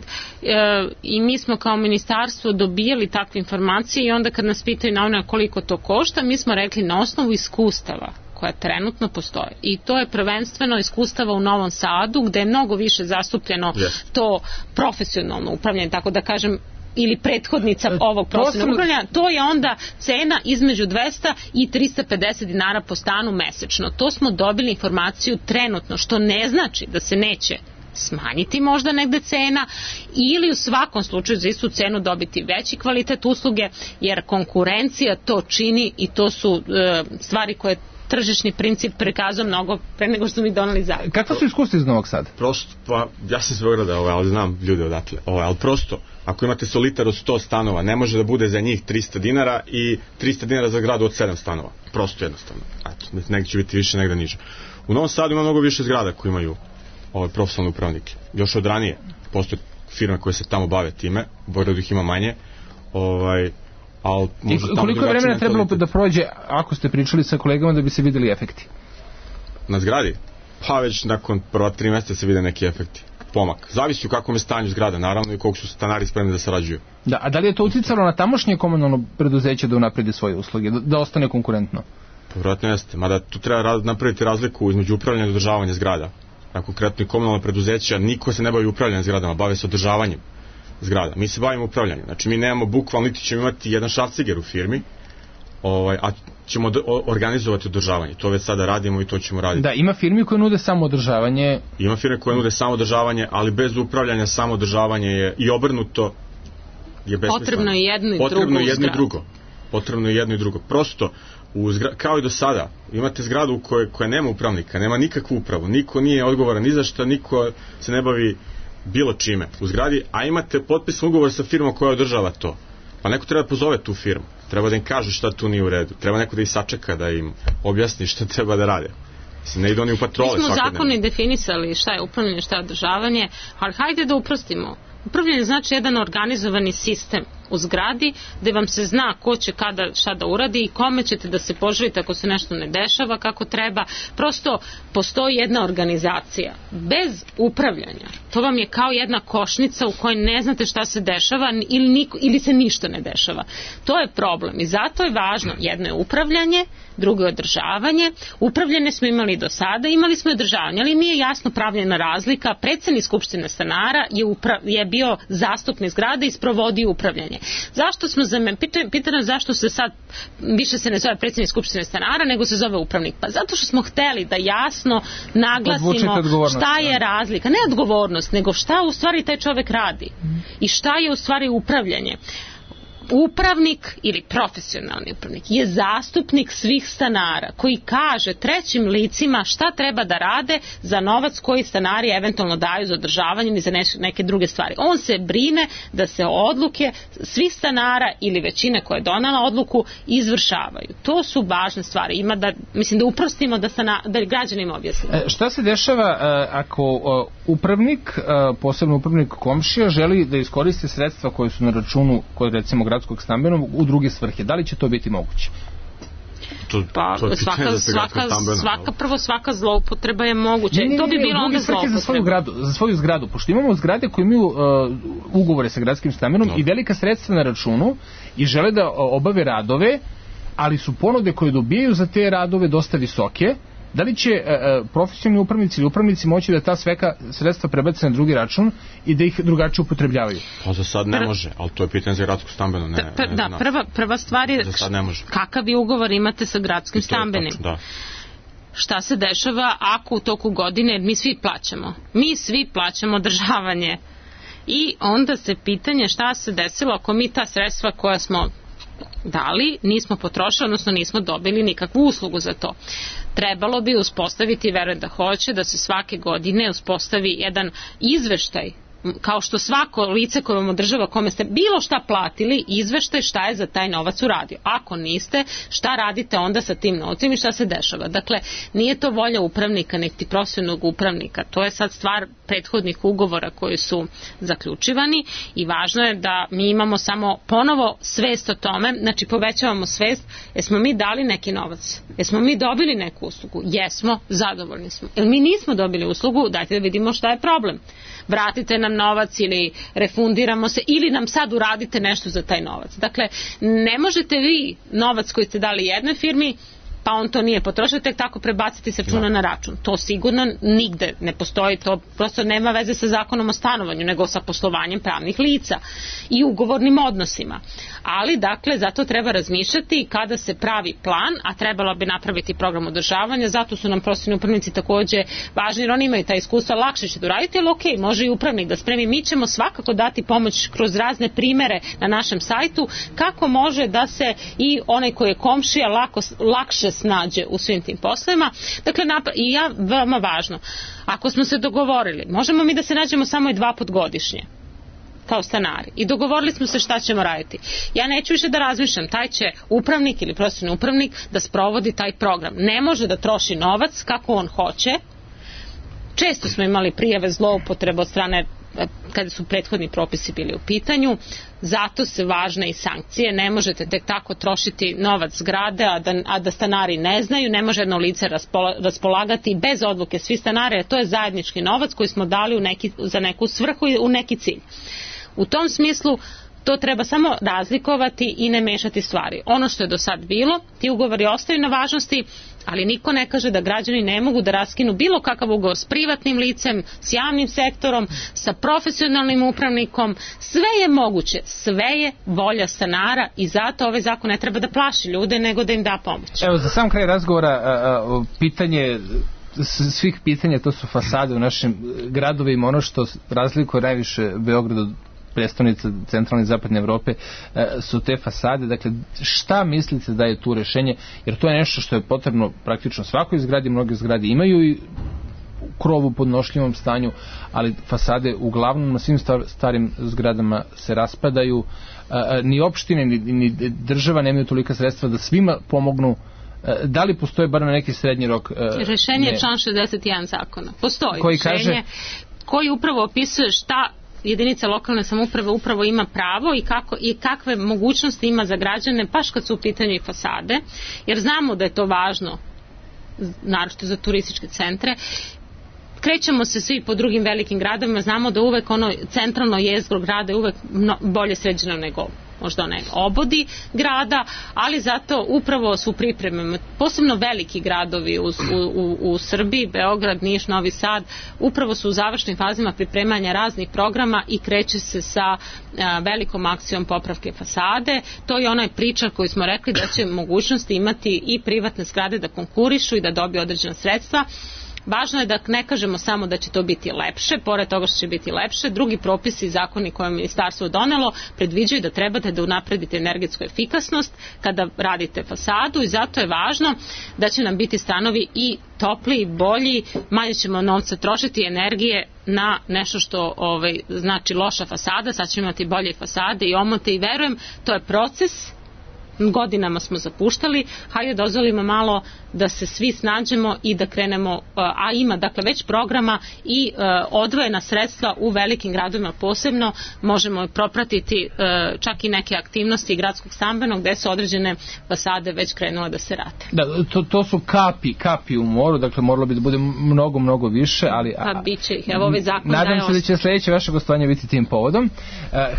i mi smo kao ministarstvo dobijali takve informacije i onda kad nas pitaju na ono koliko to košta, mi smo rekli na osnovu iskustava koja trenutno postoje. I to je prvenstveno iskustava u Novom Sadu gde je mnogo više zastupljeno to profesionalno upravljanje, tako da kažem, ili prethodnica ovog profesionalnog upravljanja, to je onda cena između 200 i 350 dinara po stanu mesečno. To smo dobili informaciju trenutno, što ne znači da se neće smanjiti možda negde cena ili u svakom slučaju za istu cenu dobiti veći kvalitet usluge, jer konkurencija to čini i to su stvari koje tržišni princip prikazao mnogo pre nego što mi donali zakon. Kakva su iskustva iz Novog Sada? Prosto, pa ja sam iz Beograda, ali znam ljude odatle, ali prosto, ako imate solitar od 100 stanova, ne može da bude za njih 300 dinara i 300 dinara za gradu od 7 stanova. Prosto jednostavno. Eto, negdje će biti više, negdje niže. U Novom Sadu ima mnogo više zgrada koji imaju profesionalne upravnike. Još od ranije postoje firme koje se tamo bave time, u Beogradu ih ima manje, i koliko je vremena trebalo da prođe, ako ste pričali sa kolegama, da bi se videli efekti? Na zgradi? Pa već nakon prva 3 mjeseca se vide neki efekti. Pomak. Zavisi u kakvom je stanju zgrada, naravno, i koliko su stanari spremni da sarađuju. Da, a da li je to uticalo na tamošnje komunalno preduzeće da unapredi svoje usluge, da ostane konkurentno? Vjerojatno jeste, mada tu treba napraviti razliku između upravljanja i održavanja zgrada. Na konkretno i komunalno preduzeća, niko se ne bavi upravljanjem zgradama, bave se održavanjem zgrada. Mi se bavimo upravljanjem. Znači mi nemamo bukvalno, niti ćemo imati jedan šrafciger u firmi, a ćemo organizovati održavanje. To već sada radimo i to ćemo raditi. Da, ima firmi koje nude samo održavanje. Ima firme koje nude samo održavanje, ali bez upravljanja samo održavanje je i obrnuto je besmisleno. Potrebno je jedno i drugo. Potrebno je jedno i drugo. Prosto, kao i do sada, imate zgradu koja nema upravnika, nema nikakvu upravu, niko nije odgovoran ni za šta, niko se ne bavi bilo čime u zgradi, a imate potpisan ugovor sa firmom koja održava to. Pa neko treba da pozove tu firmu, treba da im kaže šta tu nije u redu, treba neko da ih sačeka, da im objasni šta treba da rade. Ne ide oni u patrole svakodnevno. Mi smo zakoni definisali šta je upravljanje, šta je održavanje, ali hajde da uprostimo. Upravljanje znači jedan organizovani sistem u zgradi gde vam se zna ko će kada šta da uradi i kome ćete da se poželite ako se nešto ne dešava kako treba. Prosto postoji jedna organizacija. Bez upravljanja to vam je kao jedna košnica u kojoj ne znate šta se dešava ili se ništa ne dešava. To je problem i zato je važno. Jedno je upravljanje, drugo je održavanje. Upravljanje smo imali do sada, imali smo i održavanje, ali nije jasno pravljena razlika. Predsednik Skupštine stanara je bio zastupnik zgrade i sprovodio upravljanje. Zašto smo pitano zašto se sad više se ne zove predsednik Skupštine stanara nego se zove upravnik? Pa zato što smo hteli da jasno naglasimo šta je razlika, ne odgovornost, nego šta u stvari taj čovek radi i šta je u stvari upravljanje. Upravnik ili profesionalni upravnik je zastupnik svih stanara koji kaže trećim licima šta treba da rade za novac koji stanari eventualno daju za održavanje ili za neke druge stvari. On se brine da se odluke svih stanara ili većine koja je donala odluku izvršavaju. To su važne stvari. Ima da, mislim da uprostimo da građanima objasnimo. Šta se dešava ako upravnik, posebno upravnik komšija, želi da iskoristi sredstva koje su na računu kod recimo gradskog stambenog u druge svrhe? Da li će to biti moguće? Svaka zloupotreba je moguća. To bi bilo onda zloupotreba. Za svoju zgradu, pošto imamo zgrade koje imaju ugovore sa gradskim stambenom i velika sredstva na računu i žele da obave radove, ali su ponude koje dobijaju za te radove dosta visoke. Da li će profesionalni upravnici ili upravnici moći da ta sredstva prebace na drugi račun i da ih drugačije upotrebljavaju? Pa za sad ne može, ali to je pitanje za gradsko stambeno. Prva stvar je kakav vi ugovor imate sa gradskim stambenim. Šta se dešava ako u toku godine mi svi plaćamo održavanje i onda se pitanje šta se desilo ako mi ta sredstva koja smo dali nismo potrošili, odnosno nismo dobili nikakvu uslugu za to. Trebalo bi uspostaviti, verujem da hoće, da se svake godine uspostavi jedan izveštaj kao što svako lice koje vam održava, kome ste bilo šta platili, izveštaj šta je za taj novac uradio. Ako niste, šta radite onda sa tim novcem i šta se dešava. Dakle, nije to volja upravnika, niti profesionalnog upravnika. To je sad stvar prethodnih ugovora koji su zaključivani i važno je da mi imamo samo ponovo svest o tome, znači povećavamo svest, jesmo mi dali neki novac, jesmo mi dobili neku uslugu, jesmo, zadovoljni smo. Jer mi nismo dobili uslugu, dajte da vidimo šta je problem. Vratite nam novac ili refundiramo se ili nam sad uradite nešto za taj novac. Dakle, ne možete vi novac koji ste dali jednoj firmi pa on to nije potrošio, tek tako prebaciti se računa na račun. To sigurno nigde ne postoji, to prosto nema veze sa zakonom o stanovanju, nego sa poslovanjem pravnih lica i ugovornim odnosima. Ali, dakle, zato treba razmišljati kada se pravi plan, a trebalo bi napraviti program održavanja, zato su nam profesionalni upravnici takođe važni, jer oni imaju ta iskustva, lakše će da uraditi, ali okej, može i upravnik da spremi. Mi ćemo svakako dati pomoć kroz razne primere na našem sajtu, kako može da se i onaj koji je komšija lakše snađe u svim tim poslovima. Dakle, i veoma važno, ako smo se dogovorili, možemo mi da se nađemo samo i 2 puta godišnje kao stanari i dogovorili smo se šta ćemo raditi. Ja neću više da razmišljam, taj će upravnik ili profesionalni upravnik da sprovodi taj program. Ne može da troši novac kako on hoće. Često smo imali prijave zloupotrebe od strane kada su prethodni propisi bili u pitanju, zato se važne i sankcije. Ne možete tek tako trošiti novac zgrade, a da stanari ne znaju, ne može jedno lice raspolagati bez odluke svih stanara, to je zajednički novac koji smo dali za neku svrhu i u neki cilj. U tom smislu to treba samo razlikovati i ne mešati stvari. Ono što je do sad bilo, ti ugovori ostaju na važnosti, ali niko ne kaže da građani ne mogu da raskinu bilo kakav ugovor s privatnim licem, s javnim sektorom, sa profesionalnim upravnikom. Sve je moguće, sve je volja stanara i zato ovaj zakon ne treba da plaši ljude, nego da im da pomoć. Evo, za sam kraj razgovora, pitanje svih pitanja, to su fasade u našim gradovima. Ono što razlikuje najviše Beograd od predstavnica centralne i zapadne Evrope su te fasade. Dakle, šta mislite da je tu rešenje? Jer to je nešto što je potrebno praktično svakoj zgradi. Mnoge zgrade imaju i krov u podnošljivom stanju, ali fasade uglavnom na svim starim zgradama se raspadaju. Ni opštine, ni država nemaju tolika sredstva da svima pomognu. Da li postoje bar na neki srednji rok? Rešenje je član 61 zakona. Postoji rešenje koji upravo opisuje šta jedinica lokalne samouprave upravo ima pravo i kakve mogućnosti ima za građane, baš kad su u pitanju i fasade, jer znamo da je to važno, naročito za turističke centre. Krećemo se svi po drugim velikim gradovima, znamo da uvek ono centralno jezgro grada je uvek bolje sređeno nego možda onaj obodi grada, ali zato upravo su pripreme, posebno veliki gradovi u Srbiji, Beograd, Niš, Novi Sad, upravo su u završnim fazima pripremanja raznih programa i kreće se sa velikom akcijom popravke fasade. To je onaj priča koji smo rekli da će mogućnosti imati i privatne zgrade da konkurišu i da dobiju određena sredstva. Važno je da ne kažemo samo da će to biti lepše, pored toga što će biti lepše, drugi propisi i zakoni koje je ministarstvo donelo predviđaju da trebate da unapredite energetsku efikasnost kada radite fasadu i zato je važno da će nam biti stanovi i topliji, bolji, manje ćemo novca trošiti energije na nešto što znači loša fasada, sad ćemo imati bolje fasade i omote i verujem, to je proces. Godinama smo zapuštali, hajde dozvolimo malo da se svi snađemo i da krenemo, a ima dakle već programa i odvojena sredstva u velikim gradovima posebno, možemo propratiti čak i neke aktivnosti gradskog stambenog gde su određene fasade već krenule da se rade. Da, to su kapi u moru, dakle moralo bi da bude mnogo više, ali... Pa biće ih, evo ovaj zakon daje... Nadam se da će sljedeće vaše gostovanje biti tim povodom.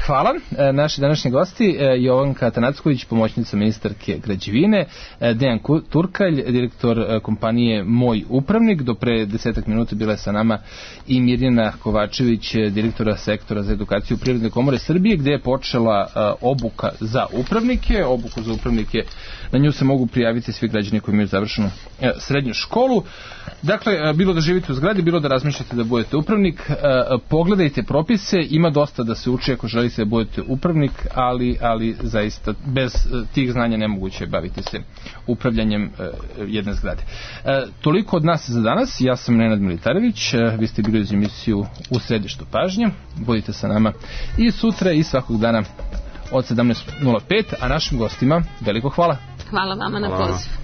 Hvala. Naši današnji gosti, Jovanka Tanacković, pomoćnica ministarke građevine, Dejan Turkalj, direktor kompanije Moj upravnik, do pre 10 minuta bila je sa nama i Mirjana Kovačević, direktora sektora za edukaciju Privredne komore Srbije, gde je počela obuka za upravnike. Obuku za upravnike, na nju se mogu prijaviti svi građani koji imaju završenu srednju školu. Dakle, bilo da živite u zgradi, bilo da razmišljate da budete upravnik, pogledajte propise, ima dosta da se uči ako želite da budete upravnik, ali zaista bez tih tih znanja nemoguće je baviti se upravljanjem jedne zgrade. Toliko od nas za danas. Ja sam Nenad Militarević, vi ste bili uz emisiju U središtu pažnje. Budite sa nama i sutra i svakog dana od 17:05, a našim gostima veliko hvala. Hvala vama na poziv.